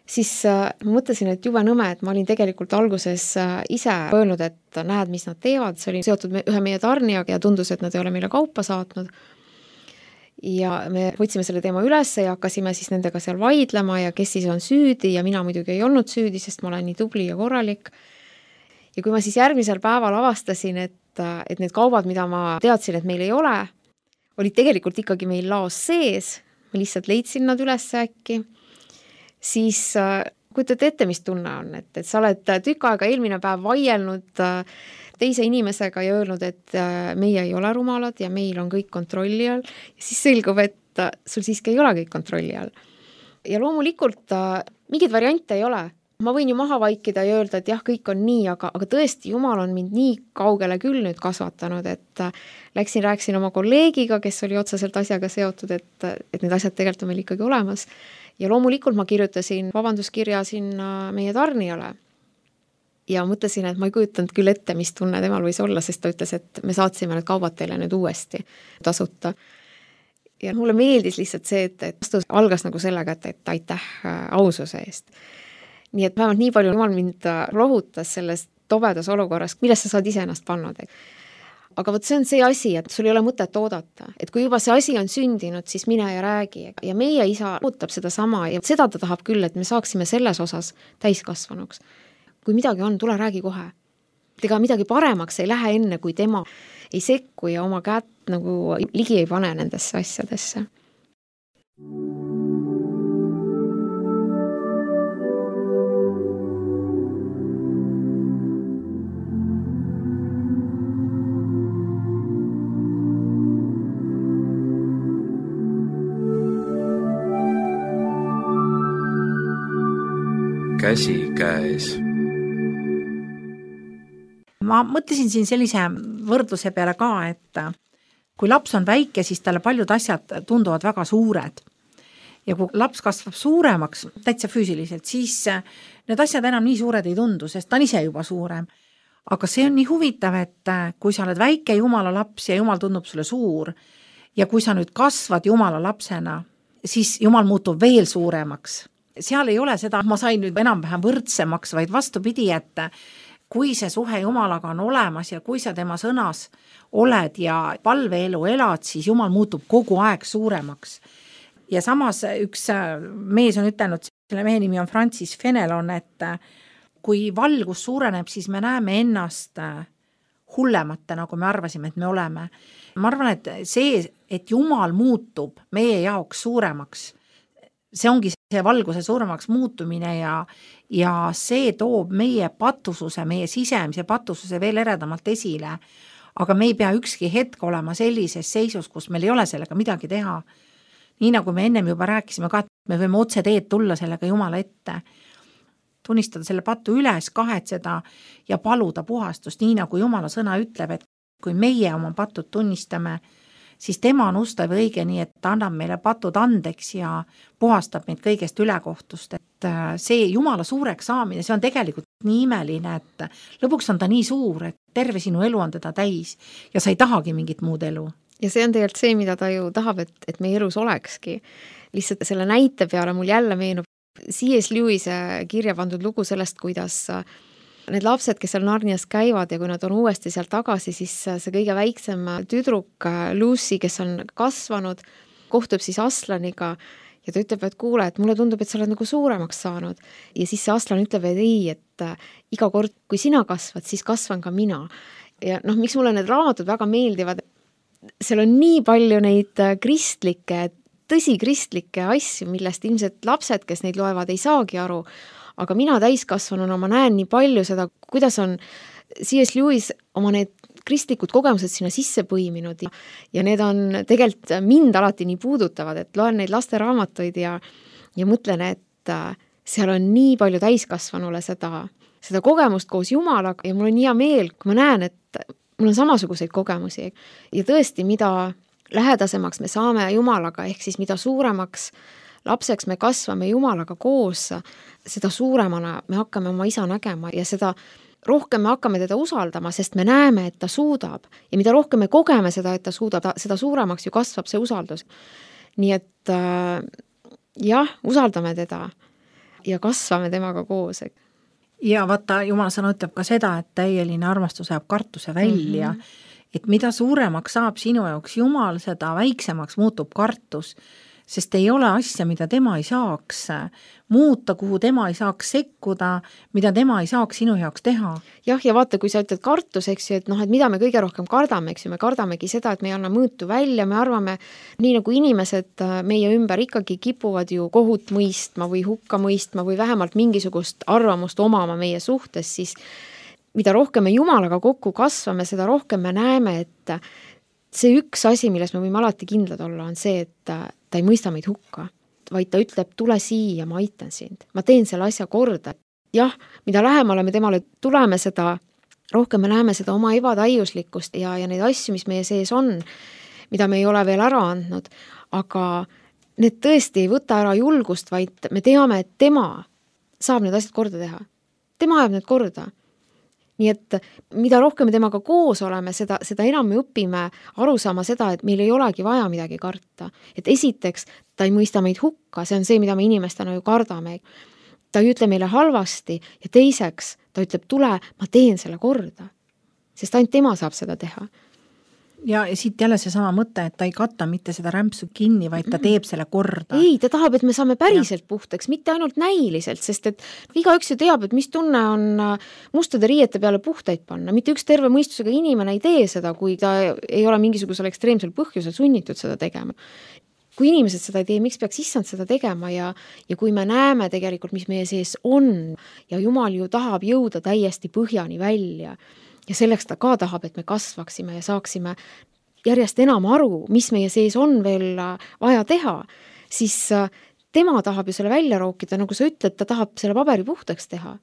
siis ma mõtlesin, et jube nõme, et ma olin tegelikult alguses ise öelnud, et näed, mis nad teevad. See oli seotud ühe meie tarnijaga ja tundus, et nad ei ole meile kaupa saatnud. Ja me võtsime selle teema üles ja hakkasime siis nendega seal vaidlema ja kes siis on süüdi ja mina muidugi ei olnud süüdi, sest ma olen nii tubli ja korralik. Ja kui ma siis järgmisel päeval avastasin, et need kaubad, mida ma teadsin, et meil ei ole, olid tegelikult ikkagi meil laos sees, ma lihtsalt leidsin nad üles äkki, siis kujutad ette, mis tunne on, et sa oled tükk aega eelmine päev vaielnud teise inimesega ja öelnud, et meie ei ole rumalad ja meil on kõik kontrolli all ja siis selgub, et sul siiski ei ole kõik kontrolli all. Ja loomulikult mingeid variante ei ole. Ma võin ju maha vaikida ja öelda, et jah, kõik on nii, aga tõesti Jumal on mind nii kaugele küll nüüd kasvatanud, et rääkisin oma kolleegiga, kes oli otseselt asjaga seotud, et need asjad tegelikult on meil ikkagi olemas. Ja loomulikult ma kirjutasin vabanduskirja sinna meie tarnijale. Ja mõtlesin, et ma ei kujutanud küll ette, mis tunne temal võis olla, sest ta ütles, et me saatsime need kaubad teile nüüd uuesti tasuta. Ja mulle meeldis lihtsalt see, et vastus algas nagu sellega, et aitäh aususe eest. Nii et vähemalt nii palju Jumal mind rohutas selles tobedas olukorras, millest sa saad ise ennast pannud. Aga võt see on see asi, et sul ei ole mõtet oodata. Et kui juba see asi on sündinud, siis mine ja räägi. Ja meie isa ootab seda sama ja seda ta tahab küll, et me saaksime selles osas täiskasvanuks. Kui midagi on, tule räägi kohe. Ega midagi paremaks ei lähe enne, kui tema ei sekku ja oma kätt nagu ligi ei pane nendesse asjadesse. Käsi käes. Ma mõtlesin siin sellise võrdluse peale ka, et kui laps on väike, siis talle paljud asjad tunduvad väga suured. Ja kui laps kasvab suuremaks, täitsa füüsiliselt, siis need asjad enam nii suured ei tundu, sest ta on ise juba suurem. Aga see on nii huvitav, et kui sa oled väike Jumala laps ja Jumal tundub sulle suur ja kui sa nüüd kasvad Jumala lapsena, siis Jumal muutub veel suuremaks. Seal ei ole seda, ma sain nüüd enam-vähem võrdsemaks, vaid vastupidi, et kui see suhe Jumalaga on olemas ja kui sa tema sõnas oled ja palveelu elad, siis Jumal muutub kogu aeg suuremaks. Ja samas üks mees on ütelnud, selle mehe nimi on Francis Fenelon, et kui valgus suureneb, siis me näeme ennast hullemate, nagu me arvasime, et me oleme. Ma arvan, et see, et Jumal muutub meie jaoks suuremaks, see ongi see valguse suuremaks muutumine ja see toob meie patususe, meie sisemise patususe veel eredamalt esile. Aga me ei pea ükski hetk olema sellises seisus, kus meil ei ole sellega midagi teha. Nii nagu me ennem juba rääkisime ka, et me võime otse teed tulla sellega Jumala ette. Tunnistada selle patu üles, kahetseda ja paluda puhastust, nii nagu Jumala sõna ütleb, et kui meie oma patud tunnistame, siis tema on ustav ja õige, nii et ta annab meile patud andeks ja puhastab meid kõigest ülekohtust. Et see Jumala suureks saamine, see on tegelikult nii imeline, et lõpuks on ta nii suur, et terve sinu elu on teda täis ja sa ei tahagi mingit muud elu. Ja see on tegelikult see, mida ta ju tahab, et meie elus olekski. Lihtsalt selle näite peale mul jälle meenub C.S. Lewise kirja pandud lugu sellest, kuidas need lapsed, kes seal Narnias käivad ja kui nad on uuesti seal tagasi, siis see kõige väiksem tüdruk Lucy, kes on kasvanud, kohtub siis Aslaniga ja ta ütleb, et kuule, et mulle tundub, et sa oled nagu suuremaks saanud. Ja siis see Aslan ütleb, et ei, et iga kord, kui sina kasvad, siis kasvan ka mina. Ja miks mulle need raamatud väga meeldivad? Seal on nii palju neid kristlikke, tõsi kristlikke asju, millest ilmselt lapsed, kes neid loevad, ei saagi aru. aga mina täiskasvanuna ma näen nii palju seda, kuidas on C.S. Lewis oma need kristlikud kogemused sinna sisse põiminud ja need on tegelikult mind alati nii puudutavad, et loen neid lasteraamatuid ja mõtlen, et seal on nii palju täiskasvanule seda kogemust koos Jumalaga ja mul on hea meel, kui ma näen, et mul on samasuguseid kogemusi ja tõesti, mida lähedasemaks me saame Jumalaga, ehk siis mida suuremaks lapseks me kasvame Jumalaga koos, seda suuremana me hakkame oma isa nägema ja seda rohkem me hakkame teda usaldama, sest me näeme, et ta suudab ja mida rohkem me kogeme seda, et ta suudab, seda suuremaks ju kasvab see usaldus. Nii et jah, usaldame teda ja kasvame temaga koos. Ja vaata, Jumala sõna ütleb ka seda, et täieline armastus ajab kartuse välja, et mida suuremaks saab sinu jaoks Jumal, seda väiksemaks muutub kartus, sest ei ole asja, mida tema ei saaks muuta, kuhu tema ei saaks sekkuda, mida tema ei saaks sinu jaoks teha. Jah, ja vaata, kui sa ütled kartus, eks ju, et noh, et mida me kõige rohkem kardame, eks ju, me kardamegi seda, et me ei anna mõõtu välja, me arvame, nii nagu inimesed meie ümber ikkagi kipuvad ju kohut mõistma või hukka mõistma või vähemalt mingisugust arvamust omama meie suhtes, siis mida rohkem me Jumalaga kokku kasvame, seda rohkem me näeme, et see üks asi, milles me võime alati kindlad olla, on see, et ta ei mõista meid hukka, vaid ta ütleb, tule siia, ma aitan sind, ma teen selle asja korda. Jah, mida lähemale me temale tuleme, seda rohkem me näeme seda oma ebatäiuslikkust ja neid asju, mis meie sees on, mida me ei ole veel ära andnud, aga need tõesti ei võta ära julgust, vaid me teame, et tema saab need asjad korda teha. Tema ajab need korda. Nii et mida rohkem me temaga koos oleme, seda enam me õpime aru saama seda, et meil ei olegi vaja midagi karta. Et esiteks, ta ei mõista meid hukka, see on see, mida me inimestena ju kardame. Ta ei ütle meile halvasti ja teiseks, ta ütleb, tule, ma teen selle korda. Sest ainult tema saab seda teha. Ja siit jälle see sama mõte, et ta ei katta mitte seda rämpsu kinni, vaid ta teeb selle korda. Ei, ta tahab, et me saame päriselt puhtaks, mitte ainult näiliselt, sest et igaüks ju teab, et mis tunne on mustade riiete peale puhtaid panna. Mitte üks terve mõistusega inimene ei tee seda, kui ta ei ole mingisugusel ekstreemsel põhjusel sunnitud seda tegema. Kui inimesed seda ei tee, miks peaks issand seda tegema ja kui me näeme tegelikult, mis meie sees on ja Jumal ju tahab jõuda täiesti põhjani välja ja selleks ta ka tahab, et me kasvaksime ja saaksime järjest enam aru, mis meie sees on veel vaja teha, siis tema tahab ju selle välja rookida, nagu sa ütled, ta tahab selle paberi puhtaks teha.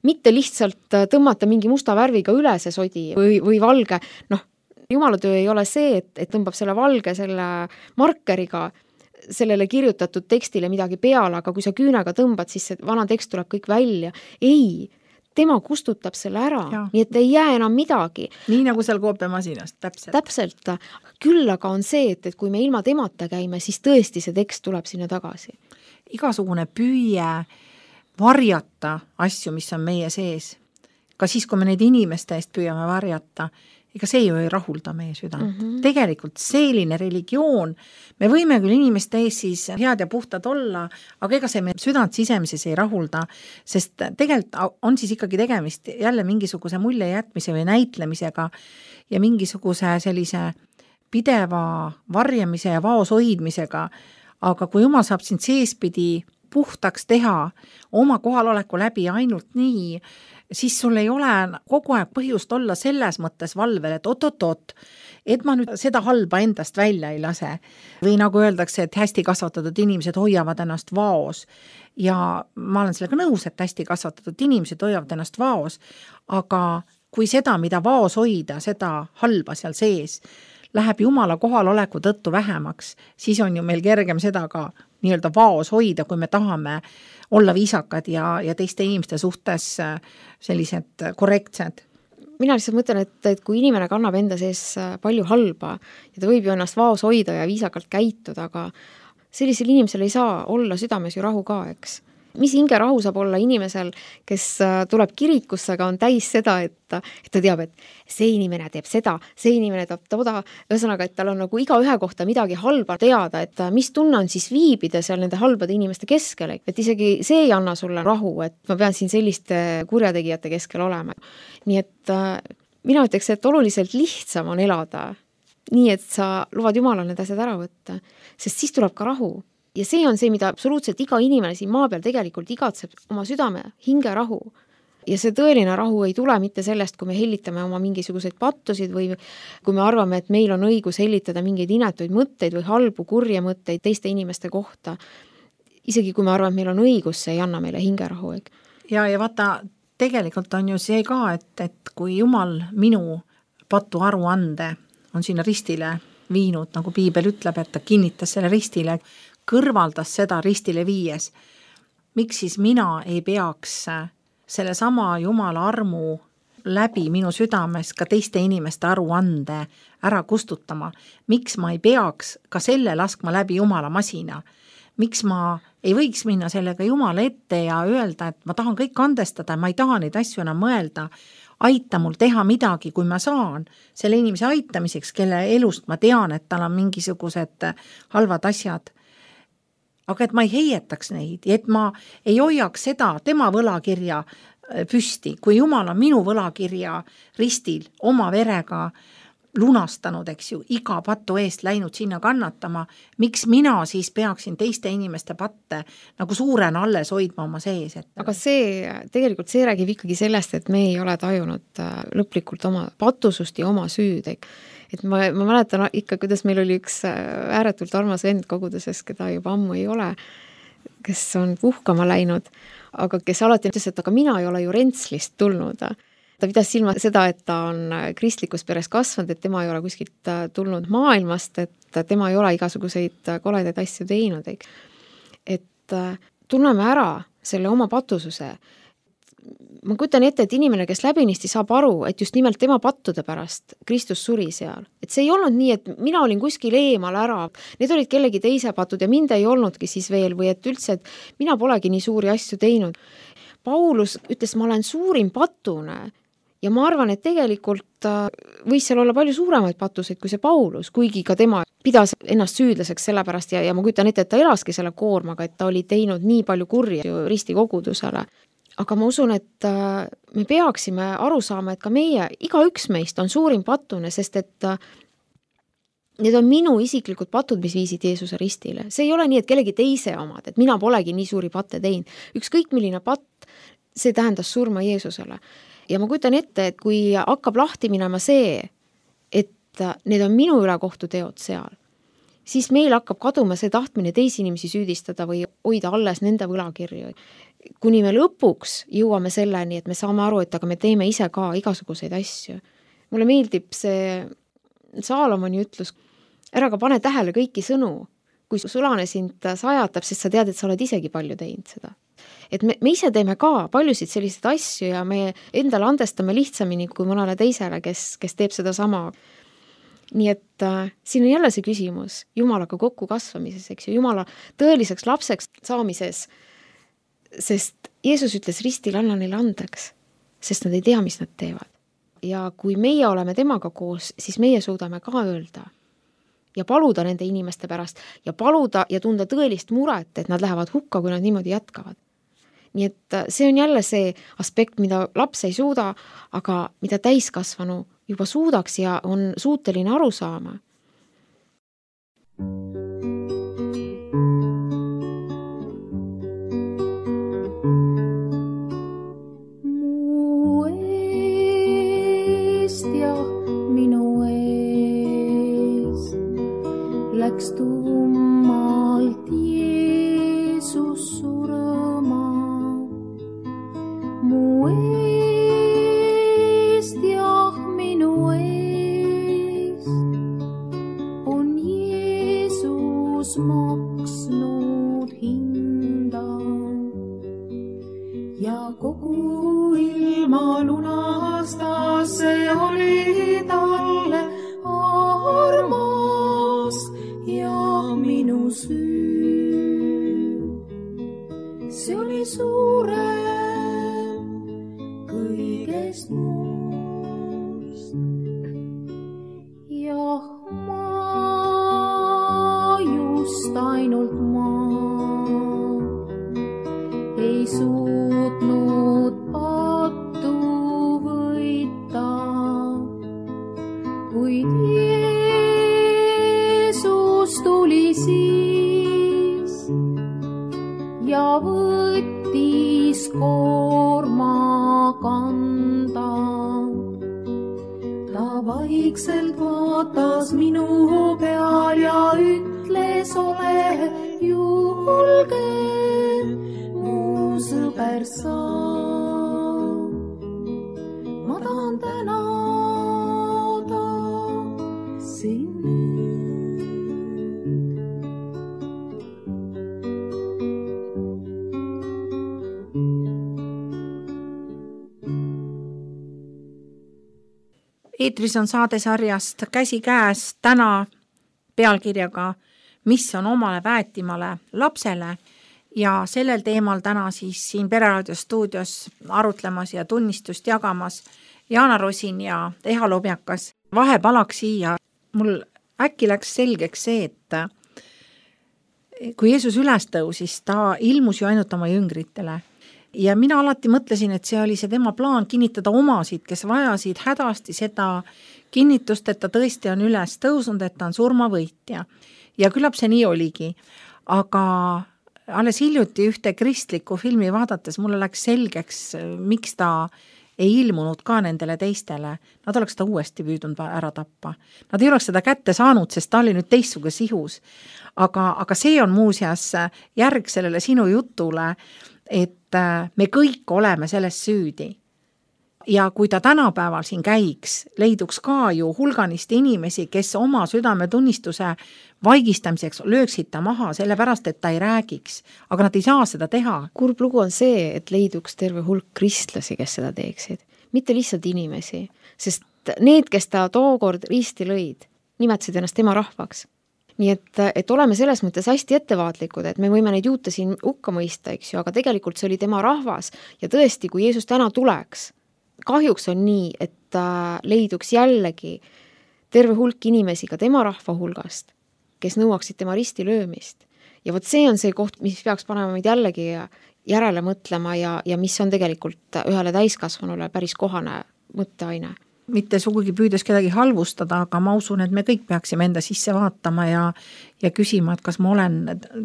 Mitte lihtsalt tõmmata mingi musta värviga üle see sodi või valge. Noh, Jumala töö ei ole see, et tõmbab selle valge selle markeriga sellele kirjutatud tekstile midagi peale, aga kui sa küünega tõmbad, siis see vana tekst tuleb kõik välja. Ei, tema kustutab selle ära, nii et ei jää enam midagi. Nii nagu seal koopiamasinast, täpselt. Täpselt. Küll aga on see, et kui me ilma temata käime, siis tõesti see tekst tuleb sinna tagasi. Igasugune püüe varjata asju, mis on meie sees. Ka siis, kui me neid inimeste eest püüame varjata, ega see ju ei rahulda meie südant. Tegelikult selline religioon, me võime küll inimeste ees siis head ja puhtad olla, aga ega see meie südant sisemises ei rahulda, sest tegelikult on siis ikkagi tegemist jälle mingisuguse mulje jätmise või näitlemisega ja mingisuguse sellise pideva varjamise ja vaos hoidmisega, aga kui Jumal saab sind seespidi puhtaks teha oma kohaloleku läbi ainult nii, siis sul ei ole kogu aeg põhjust olla selles mõttes valvel, et oot, et ma nüüd seda halba endast välja ei lase. Või nagu öeldakse, et hästi kasvatatud inimesed hoiavad ennast vaos. Ja ma olen sellega nõus, et hästi kasvatatud inimesed hoiavad ennast vaos, aga kui seda, mida vaos hoida, seda halba seal sees, läheb Jumala kohaloleku tõttu vähemaks, siis on ju meil kergem seda ka nii-öelda vaos hoida, kui me tahame olla viisakad ja teiste inimeste suhtes sellised korrektsed. Mina lihtsalt mõtlen, et kui inimene kannab enda sees palju halba ja ta võib ju ennast vaos hoida ja viisakalt käituda, aga sellisel inimesel ei saa olla südames ju rahu ka, eks. Mis hingerahu saab olla inimesel, kes tuleb kirikusse, aga on täis seda, et ta teab, et see inimene teeb seda, see inimene teeb toda, ühesõnaga, et tal on nagu iga ühe kohta midagi halba teada, et mis tunne on siis viibida seal nende halbade inimeste keskel, et isegi see ei anna sulle rahu, et ma pean siin selliste kurjategijate keskel olema. Nii et mina ütleks, et oluliselt lihtsam on elada nii, et sa luvad Jumalal need asjad ära võtta, sest siis tuleb ka rahu. Ja see on see, mida absoluutselt iga inimene siin maa peal tegelikult igatseb, oma südame, hingerahu. Ja see tõeline rahu ei tule mitte sellest, kui me hellitame oma mingisuguseid pattusid või kui me arvame, et meil on õigus hellitada mingeid inetuid mõtteid või halbu, kurje mõtteid teiste inimeste kohta. Isegi kui me arvame, et meil on õigus, see ei anna meile hingerahu. Ja vaata, tegelikult on ju see ka, et kui Jumal minu patu aruande on sinna ristile viinud, nagu Piibel ütleb, et ta kinnitas selle ristile, kõrvaldas seda ristile viies. Miks siis mina ei peaks selle sama Jumala armu läbi minu südames ka teiste inimeste aruande ära kustutama? Miks ma ei peaks ka selle laskma läbi Jumala masina? Miks ma ei võiks minna sellega Jumala ette ja öelda, et ma tahan kõik andestada, ma ei taha neid asju enam mõelda, aita mul teha midagi, kui ma saan selle inimese aitamiseks, kelle elust ma tean, et tal on mingisugused halvad asjad. Aga et ma ei heietaks neid, et ma ei hoiaks seda tema võlakirja püsti, kui Jumal on minu võlakirja ristil oma verega lunastanud, eks ju, iga patu eest läinud sinna kannatama, miks mina siis peaksin teiste inimeste patte nagu suurena alles hoidma oma sees? Aga tegelikult see räägib ikkagi sellest, et me ei ole tajunud lõplikult oma patusust ja oma süüd. Et ma mäletan ikka, kuidas meil oli üks ääretult armas vend koguduses, keda juba ammu ei ole, kes on puhkama läinud, aga kes alati ütles, et aga mina ei ole ju Rentslist tulnud. Ta pidas silma seda, et ta on kristlikus peres kasvanud, et tema ei ole kuskilt tulnud maailmast, et tema ei ole igasuguseid koledaid asju teinud. Et tunneme ära selle oma patususe. Ma kujutan ette, et inimene, kes läbinisti saab aru, et just nimelt tema pattude pärast Kristus suri seal. Et see ei olnud nii, et mina olin kuskil eemal ära, need olid kellegi teise patud ja mind ei olnudki siis veel või et üldse, et mina polegi nii suuri asju teinud. Paulus ütles, ma olen suurim patune ja ma arvan, et tegelikult võis seal olla palju suuremaid patuseid kui see Paulus, kuigi ka tema pidas ennast süüdlaseks sellepärast ja ma kujutan ette, et ta elaski selle koormaga, et ta oli teinud nii palju kurja risti kogudusele. Aga ma usun, et me peaksime aru saama, et ka meie, igaüks meist on suurim patune, sest et need on minu isiklikud patud, mis viisid Jeesuse ristile. See ei ole nii, et kellegi teise omad, et mina polegi nii suuri patte teinud. Ükskõik milline patt, see tähendas surma Jeesusele. Ja ma kujutan ette, et kui hakkab lahti minema see, et need on minu ülekohtu teod seal, siis meil hakkab kaduma see tahtmine teisi inimesi süüdistada või hoida alles nende võlakirju. Kuni me lõpuks jõuame selleni, et me saame aru, et aga me teeme ise ka igasuguseid asju. Mulle meeldib see Saalomoni ütlus, ära ka pane tähele kõiki sõnu, kui sulane sind sajatab, sest sa tead, et sa oled isegi palju teinud seda. Et me ise teeme ka paljusid selliseid asju ja me endale andestame lihtsamini kui mõnele teisele, kes teeb seda sama. Nii et siin on jälle see küsimus Jumalaga kokku kasvamises, eks ju, Jumala tõeliseks lapseks saamises, sest Jeesus ütles ristil, anna neile andeks, sest nad ei tea, mis nad teevad. Ja kui meie oleme temaga koos, siis meie suudame ka öelda ja paluda nende inimeste pärast ja paluda ja tunda tõelist muret, et nad lähevad hukka, kui nad niimoodi jätkavad. Nii et see on jälle see aspekt, mida laps ei suuda, aga mida täiskasvanu juba suudaks ja on suuteline aru saama. Mu eest ja minu ees läks tummalt Jeesus surema. Mu eest ja minu eest on Jeesus maksnud hinda ja kogu ilma lunastas, see oli talle armas ja minu süü, see oli suurem kõigest muust. Jah, ma just ainult ma ei suutnud pattu võita, kuid Jeesus tuli siis vaikselt vaatas minu peal ja ütles, ole julge, mu sõber sa. Ma tahan tänada sind. Eetris on saadesarjast Käsikäes täna pealkirjaga Mis on omale väetimale lapsele ja sellel teemal täna siis siin Pereraadio stuudios arutlemas ja tunnistust jagamas Jaana Rosin ja Eha Lobjakas. Vahepalaks siia, mul äkki läks selgeks see, et kui Jeesus üles tõusis, ta ilmus ju ainult oma jüngritele. Ja mina alati mõtlesin, et see oli see tema plaan kinnitada omasid, kes vajasid hädasti seda kinnitust, et ta tõesti on üles tõusnud, et ta on surmavõitja. Ja küllap see nii oligi. Aga alles hiljuti ühte kristlikku filmi vaadates mulle läks selgeks, miks ta ei ilmunud ka nendele teistele. Nad oleks ta uuesti püüdnud ära tappa. Nad ei oleks seda kätte saanud, sest ta oli nüüd teistsuga sihus. Aga see on muuseas järg sellele sinu jutule, et me kõik oleme selles süüdi. Ja kui ta tänapäeval siin käiks, leiduks ka ju hulganisti inimesi, kes oma südametunnistuse vaigistamiseks lööksid ta maha, sellepärast, et ta ei räägiks. Aga nad ei saa seda teha. Kurb lugu on see, et leiduks terve hulk kristlasi, kes seda teeksid. Mitte lihtsalt inimesi, sest need, kes ta tookord risti lõid, nimetasid ennast tema rahvaks. Nii et oleme selles mõttes hästi ettevaatlikud, et me võime neid juute siin hukka mõista, eks ju, aga tegelikult see oli tema rahvas ja tõesti, kui Jeesus täna tuleks, kahjuks on nii, et leiduks jällegi terve hulk inimesi ka tema rahva hulgast, kes nõuaksid tema risti löömist. Ja vot see on see koht, mis peaks panema meid jällegi järele mõtlema ja mis on tegelikult ühele täiskasvanule päris kohane mõtteaine. Mitte sugugi püüdes kedagi halvustada, aga ma usun, et me kõik peaksime enda sisse vaatama ja küsima, et kas ma olen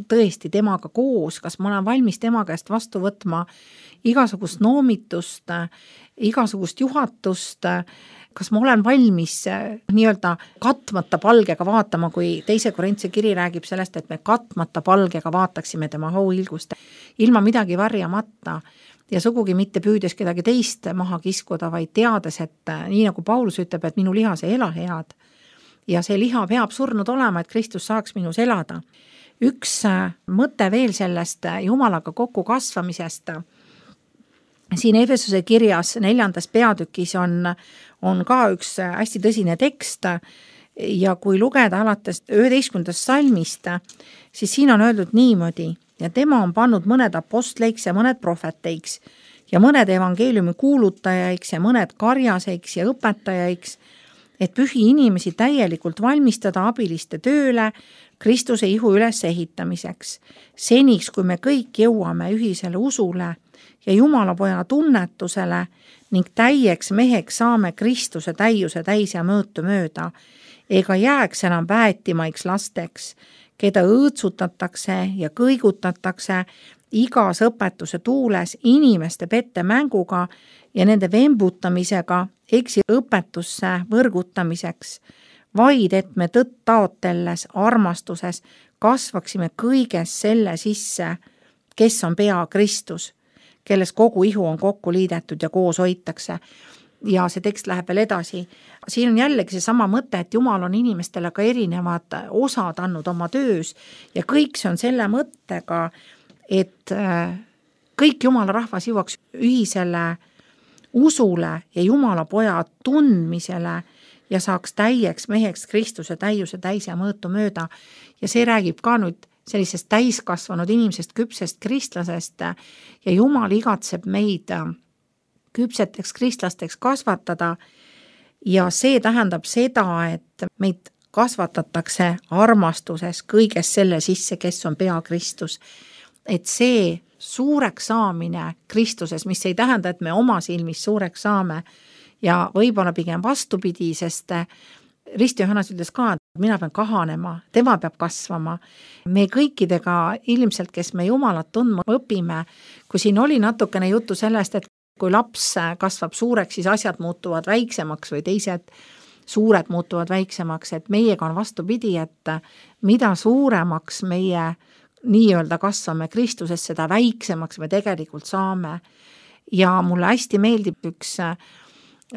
tõesti temaga koos, kas ma olen valmis tema käest vastu võtma igasugust noomitust, igasugust juhatust, kas ma olen valmis nii-öelda katmata palgega vaatama, kui teise Korintse kiri räägib sellest, et me katmata palgega vaataksime tema hauilgust, ilma midagi varjamata. Ja sugugi mitte püüdes kedagi teist maha kiskuda, vaid teades, et nii nagu Paulus ütleb, et minu lihas ei ela head. Ja see liha peab surnud olema, et Kristus saaks minus elada. Üks mõte veel sellest Jumalaga kokku kasvamisest. Siin Efesuse kirjas 4. peatükis on ka üks hästi tõsine tekst ja kui lugeda alates 11. salmist, siis siin on öeldud niimoodi. Ja tema on pannud mõned apostleiks ja mõned prohveteiks ja mõned evangeeliumi kuulutajaiks ja mõned karjaseiks ja õpetajaiks, et pühi inimesi täielikult valmistada abiliste tööle Kristuse ihu üles ehitamiseks. Seniks, kui me kõik jõuame ühisele usule ja Jumala poja tunnetusele ning täieks meheks saame Kristuse täiuse täis ja mõõtu mööda, ega jääks enam väetimaiks lasteks, keda õõtsutatakse ja kõigutatakse igas õpetuse tuules inimeste pette mänguga ja nende vembutamisega eksi õpetusse võrgutamiseks, vaid et me tõtt taotelles armastuses kasvaksime kõiges selle sisse, kes on pea Kristus, kelles kogu ihu on kokku liidetud ja koos hoitakse. Ja see tekst läheb veel edasi. Siin on jällegi see sama mõte, et Jumal on inimestele ka erinevad osad andnud oma töös ja kõik see on selle mõttega, et kõik Jumala rahvas jõuaks ühisele usule ja Jumala poja tundmisele ja saaks täieks meheks Kristuse täiuse täis ja mõõtu mööda. Ja see räägib ka nüüd sellisest täiskasvanud inimesest, küpsest kristlasest ja Jumal igatseb meid küpseteks kristlasteks kasvatada ja see tähendab seda, et meid kasvatatakse armastuses kõiges selle sisse, kes on pea Kristus. Et see suureks saamine Kristuses, mis ei tähenda, et me oma silmis suureks saame ja võib-olla pigem vastupidi, sest Risti Johannes ütles ka, et mina pean kahanema, tema peab kasvama. Me kõikidega ilmselt, kes me Jumalat tundma õpime, kui siin oli natukene juttu sellest, et kui laps kasvab suureks, siis asjad muutuvad väiksemaks või teised suured muutuvad väiksemaks, et meiega on vastupidi, et mida suuremaks meie nii-öelda kasvame Kristuses, seda väiksemaks me tegelikult saame. Ja mulle hästi meeldib üks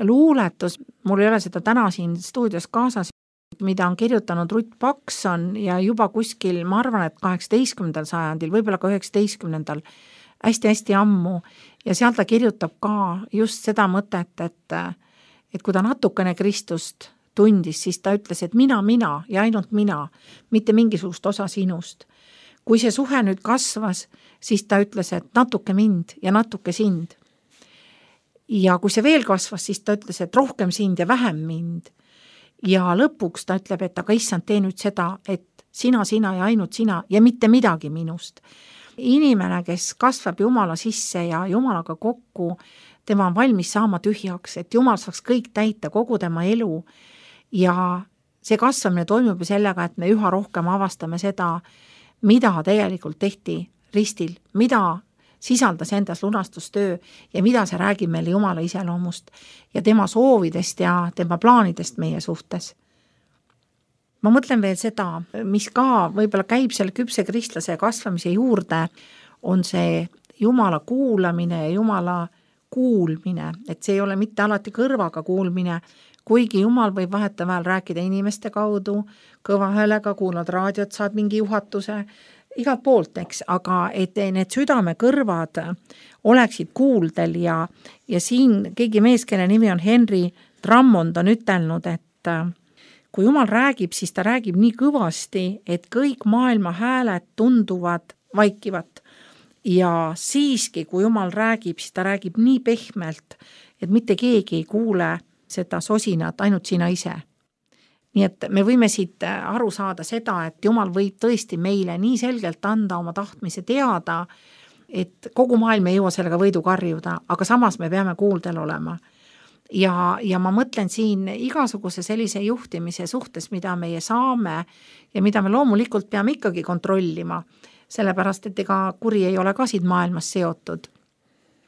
luuletus, mul ei ole seda täna siin stuudios kaasas, mida on kirjutanud Ruth Pakson ja juba kuskil, ma arvan, et 18. sajandil, võib-olla ka 19. hästi-hästi ammu, ja seal ta kirjutab ka just seda mõtet, et kui ta natukene Kristust tundis, siis ta ütles, et mina ja ainult mina, mitte mingisugust osa sinust. Kui see suhe nüüd kasvas, siis ta ütles, et natuke mind ja natuke sind. Ja kui see veel kasvas, siis ta ütles, et rohkem sind ja vähem mind. Ja lõpuks ta ütleb, et aga issand, tee nüüd seda, et sina ja ainult sina ja mitte midagi minust. Inimene, kes kasvab Jumala sisse ja Jumalaga kokku, tema on valmis saama tühjaks, et Jumal saaks kõik täita, kogu tema elu. Ja see kasvamine toimub ju sellega, et me üha rohkem avastame seda, mida tegelikult tehti ristil, mida sisaldas endas lunastustöö ja mida see räägib meile Jumala iseloomust ja tema soovidest ja tema plaanidest meie suhtes. Ma mõtlen veel seda, mis ka võib-olla käib selle küpse kristlase kasvamise juurde, on see Jumala kuulamine ja Jumala kuulmine, et see ei ole mitte alati kõrvaga kuulmine, kuigi Jumal võib vahetevahel rääkida inimeste kaudu, kõva häälega, kuulad raadiot, saad mingi juhatuse, igalt poolt, eks, aga et need südame kõrvad oleksid kuuldel ja siin keegi mees, kelle nimi on Henry Drummond, on ütelnud, et kui Jumal räägib, siis ta räägib nii kõvasti, et kõik maailma hääled tunduvad vaikivat. Ja siiski, kui Jumal räägib, siis ta räägib nii pehmelt, et mitte keegi ei kuule seda sosinat, ainult sina ise. Nii et me võime siit aru saada seda, et Jumal võib tõesti meile nii selgelt anda oma tahtmise teada, et kogu maailm ei jõua sellega võidu karjuda, aga samas me peame kuuldel olema. Ja ma mõtlen siin igasuguse sellise juhtimise suhtes, mida meie saame ja mida me loomulikult peame ikkagi kontrollima, sellepärast, et ega kuri ei ole ka siin maailmas seotud.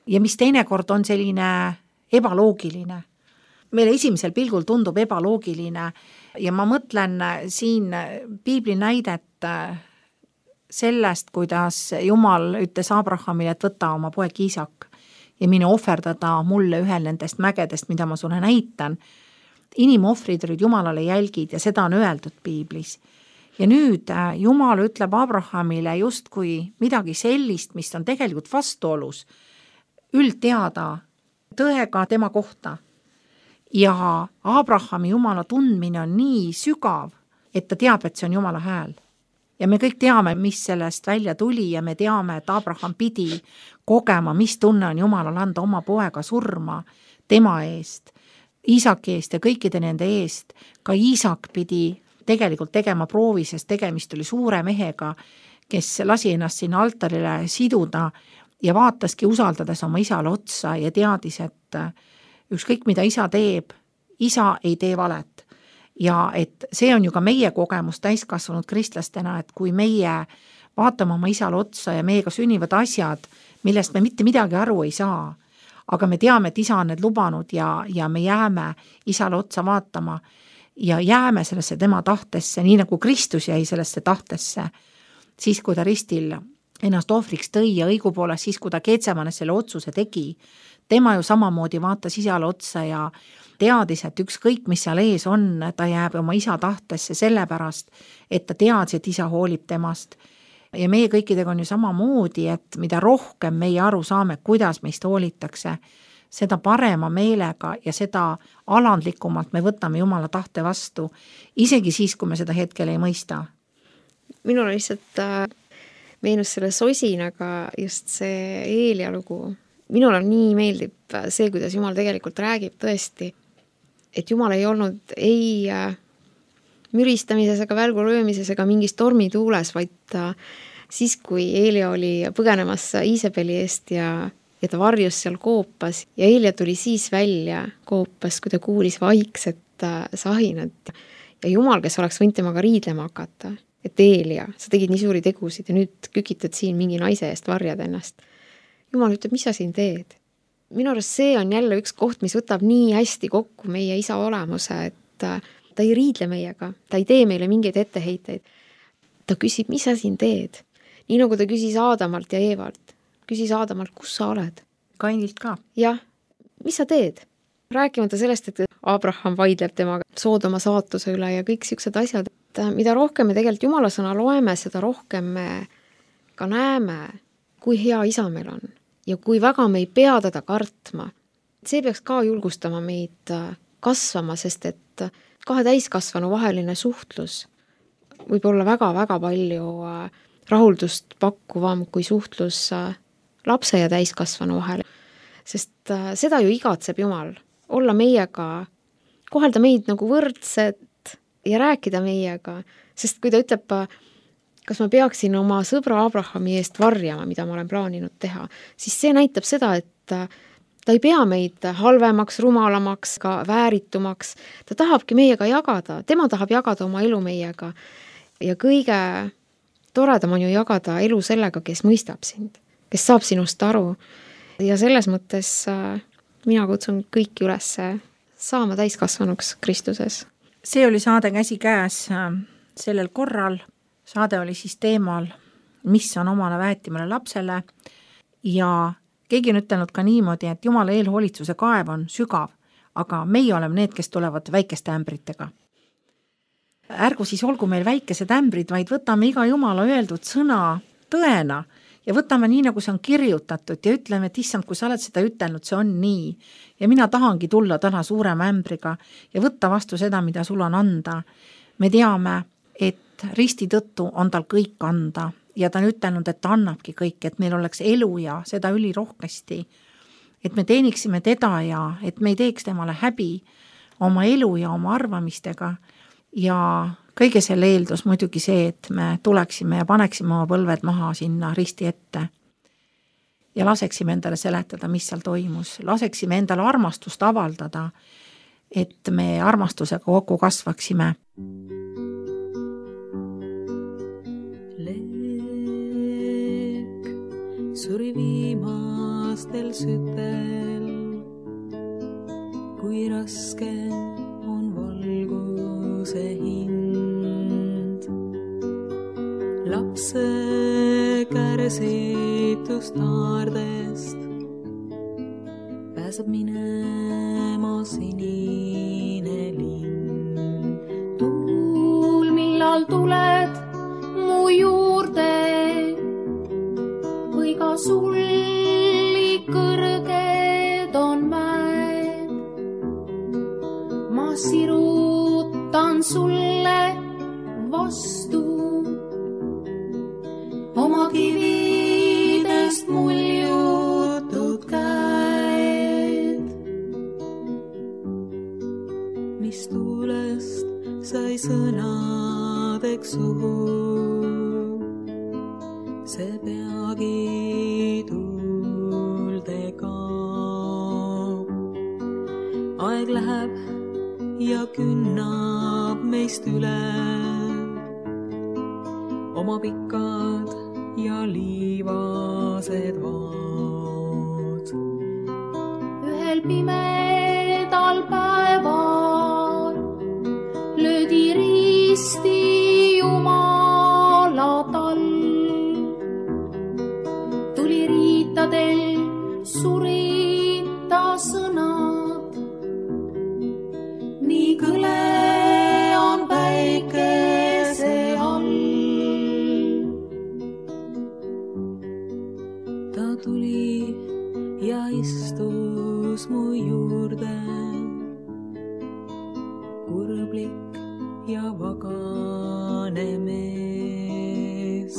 Ja mis teinekord on selline ebaloogiline. Meile esimesel pilgul tundub ebaloogiline ja ma mõtlen siin piibli näidet sellest, kuidas Jumal ütles Abrahamile, et võta oma poeg Iisak ja mine ohverdada mulle ühel nendest mägedest, mida ma sulle näitan. Inimohvrid olid Jumalale jälgid ja seda on öeldud piiblis. Ja nüüd Jumal ütleb Abrahamile justkui midagi sellist, mis on tegelikult vastuolus üldteada tõega tema kohta. Ja Abrahami Jumala tundmine on nii sügav, et ta teab, et see on Jumala hääl. Ja me kõik teame, mis sellest välja tuli ja me teame, et Abraham pidi kogema, mis tunne on Jumalal anda oma poega surma tema eest, Iisaki eest ja kõikide nende eest. Ka Iisak pidi tegelikult tegema proovi, sest tegemist oli suure mehega, kes lasi ennast sinna altarile siduda ja vaataski usaldades oma isale otsa ja teadis, et ükskõik mida isa teeb, isa ei tee valet. Ja et see on ju ka meie kogemus täiskasvanud kristlastena, et kui meie vaatame oma isale otsa ja meiega sünnivad asjad, millest me mitte midagi aru ei saa, aga me teame, et isa on need lubanud ja me jääme isale otsa vaatama ja jääme sellesse tema tahtesse, nii nagu Kristus jäi sellesse tahtesse, siis kui ta ristil ennast ohvriks tõi ja õigupoolest siis, kui ta Keetsemanes selle otsuse tegi, tema ju samamoodi vaatas isale otsa ja teadis, et ükskõik, mis seal ees on, ta jääb oma isa tahtesse sellepärast, et ta teadis, et isa hoolib temast. Ja meie kõikidega on ju samamoodi, et mida rohkem meie aru saame, kuidas meist hoolitakse, seda parema meelega ja seda alandlikumalt me võtame Jumala tahte vastu, isegi siis, kui me seda hetkel ei mõista. Minul lihtsalt meenus selle sosinaga just see Eelia lugu. Minul on nii meeldib see, kuidas Jumal tegelikult räägib tõesti, et Jumal ei olnud ei müristamises ega välgulöömises ega mingis tormituules, vaid siis, kui Eelia oli põgenemas Iisabeli eest ja ta varjus seal koopas ja Eelia tuli siis välja koopas, kui ta kuulis vaikset sahinat ja Jumal, kes oleks võinud temaga riidlema hakata, et Eelia, sa tegid nii suuri tegusid ja nüüd kükitad siin mingi naise eest varjad ennast. Jumal ütleb, mis sa siin teed? Minu arust see on jälle üks koht, mis võtab nii hästi kokku meie isa olemuse, ta ei riidle meiega, ta ei tee meile mingeid etteheiteid. Ta küsib, mis sa siin teed? Nii nagu ta küsis Aadamalt ja Eevalt. Küsis Aadamalt, kus sa oled? Kainilt ka. Jah, mis sa teed? Rääkimata sellest, et Abraham vaidleb temaga Soodoma saatuse üle ja kõik siuksed asjad. Mida rohkem me tegelikult Jumala sõna loeme, seda rohkem me ka näeme, kui hea isa meil on ja kui väga me ei pea teda kartma. See peaks ka julgustama meid kasvama, sest et kahe täiskasvanu vaheline suhtlus võib olla väga-väga palju rahuldust pakkuvam kui suhtlus lapse ja täiskasvanu vahel. Sest seda ju igatseb Jumal, olla meiega, kohelda meid nagu võrdset ja rääkida meiega. Sest kui ta ütleb, kas ma peaksin oma sõbra Abrahami eest varjama, mida ma olen plaaninud teha, siis see näitab seda, et ta ei pea meid halvemaks, rumalamaks, ka vääritumaks. Ta tahabki meiega jagada, tema tahab jagada oma elu meiega. Ja kõige toredam on ju jagada elu sellega, kes mõistab sind, kes saab sinust aru. Ja selles mõttes mina kutsun kõiki üles saama täiskasvanuks Kristuses. See oli saade Käsikäes sellel korral. Saade oli siis teemal, mis on omane väetimale lapsele ja keegi on ütelnud ka niimoodi, et Jumala eelhoolitsuse kaev on sügav, aga meie oleme need, kes tulevad väikeste ämbritega. Ärgu siis olgu meil väikesed ämbrid, vaid võtame iga Jumala öeldud sõna tõena ja võtame nii, nagu see on kirjutatud ja ütleme, et issand, kui sa oled seda ütelnud, see on nii. Ja mina tahangi tulla täna suurema ämbriga ja võtta vastu seda, mida sul on anda. Me teame, et risti tõttu on tal kõik anda ja ta on ütelnud, et ta annabki kõik, et meil oleks elu ja seda ülirohkesti, et me teeniksime teda ja et me ei teeks temale häbi oma elu ja oma arvamistega ja kõige selle eeldus muidugi see, et me tuleksime ja paneksime oma põlved maha sinna risti ette ja laseksime endale seletada, mis seal toimus, laseksime endale armastust avaldada, et me armastusega kokku kasvaksime. Suri viimastel sütel, kui raske on valguse hind. Lapse kärsitust naardest pääseb minema sinine linn. Tuul, millal tuled mu juurde, või ka sulli kõrged on mäed. Ma sirutan sulle vastu oma kividest muljutud käed. Mis tuulest sai sõnadeks suhu, see peagi tulde kaob. Aeg läheb ja künnab meist üle oma pikad ja liivased vaad. Ühel pimedal päeval löödi risti Jumala tall. Tuli riitadel surita sõnad, nii kõle on päikese all. Ta tuli ja istus mu juurde, kurblik ja vagane mees.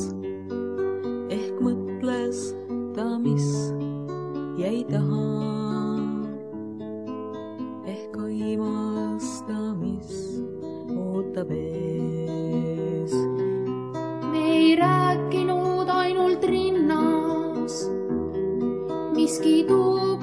Ehk mõtles ta, mis jäi taha, ehk aimas ta, mis ootab ees. Me ei rääkinud ainult rinnas, miski tuu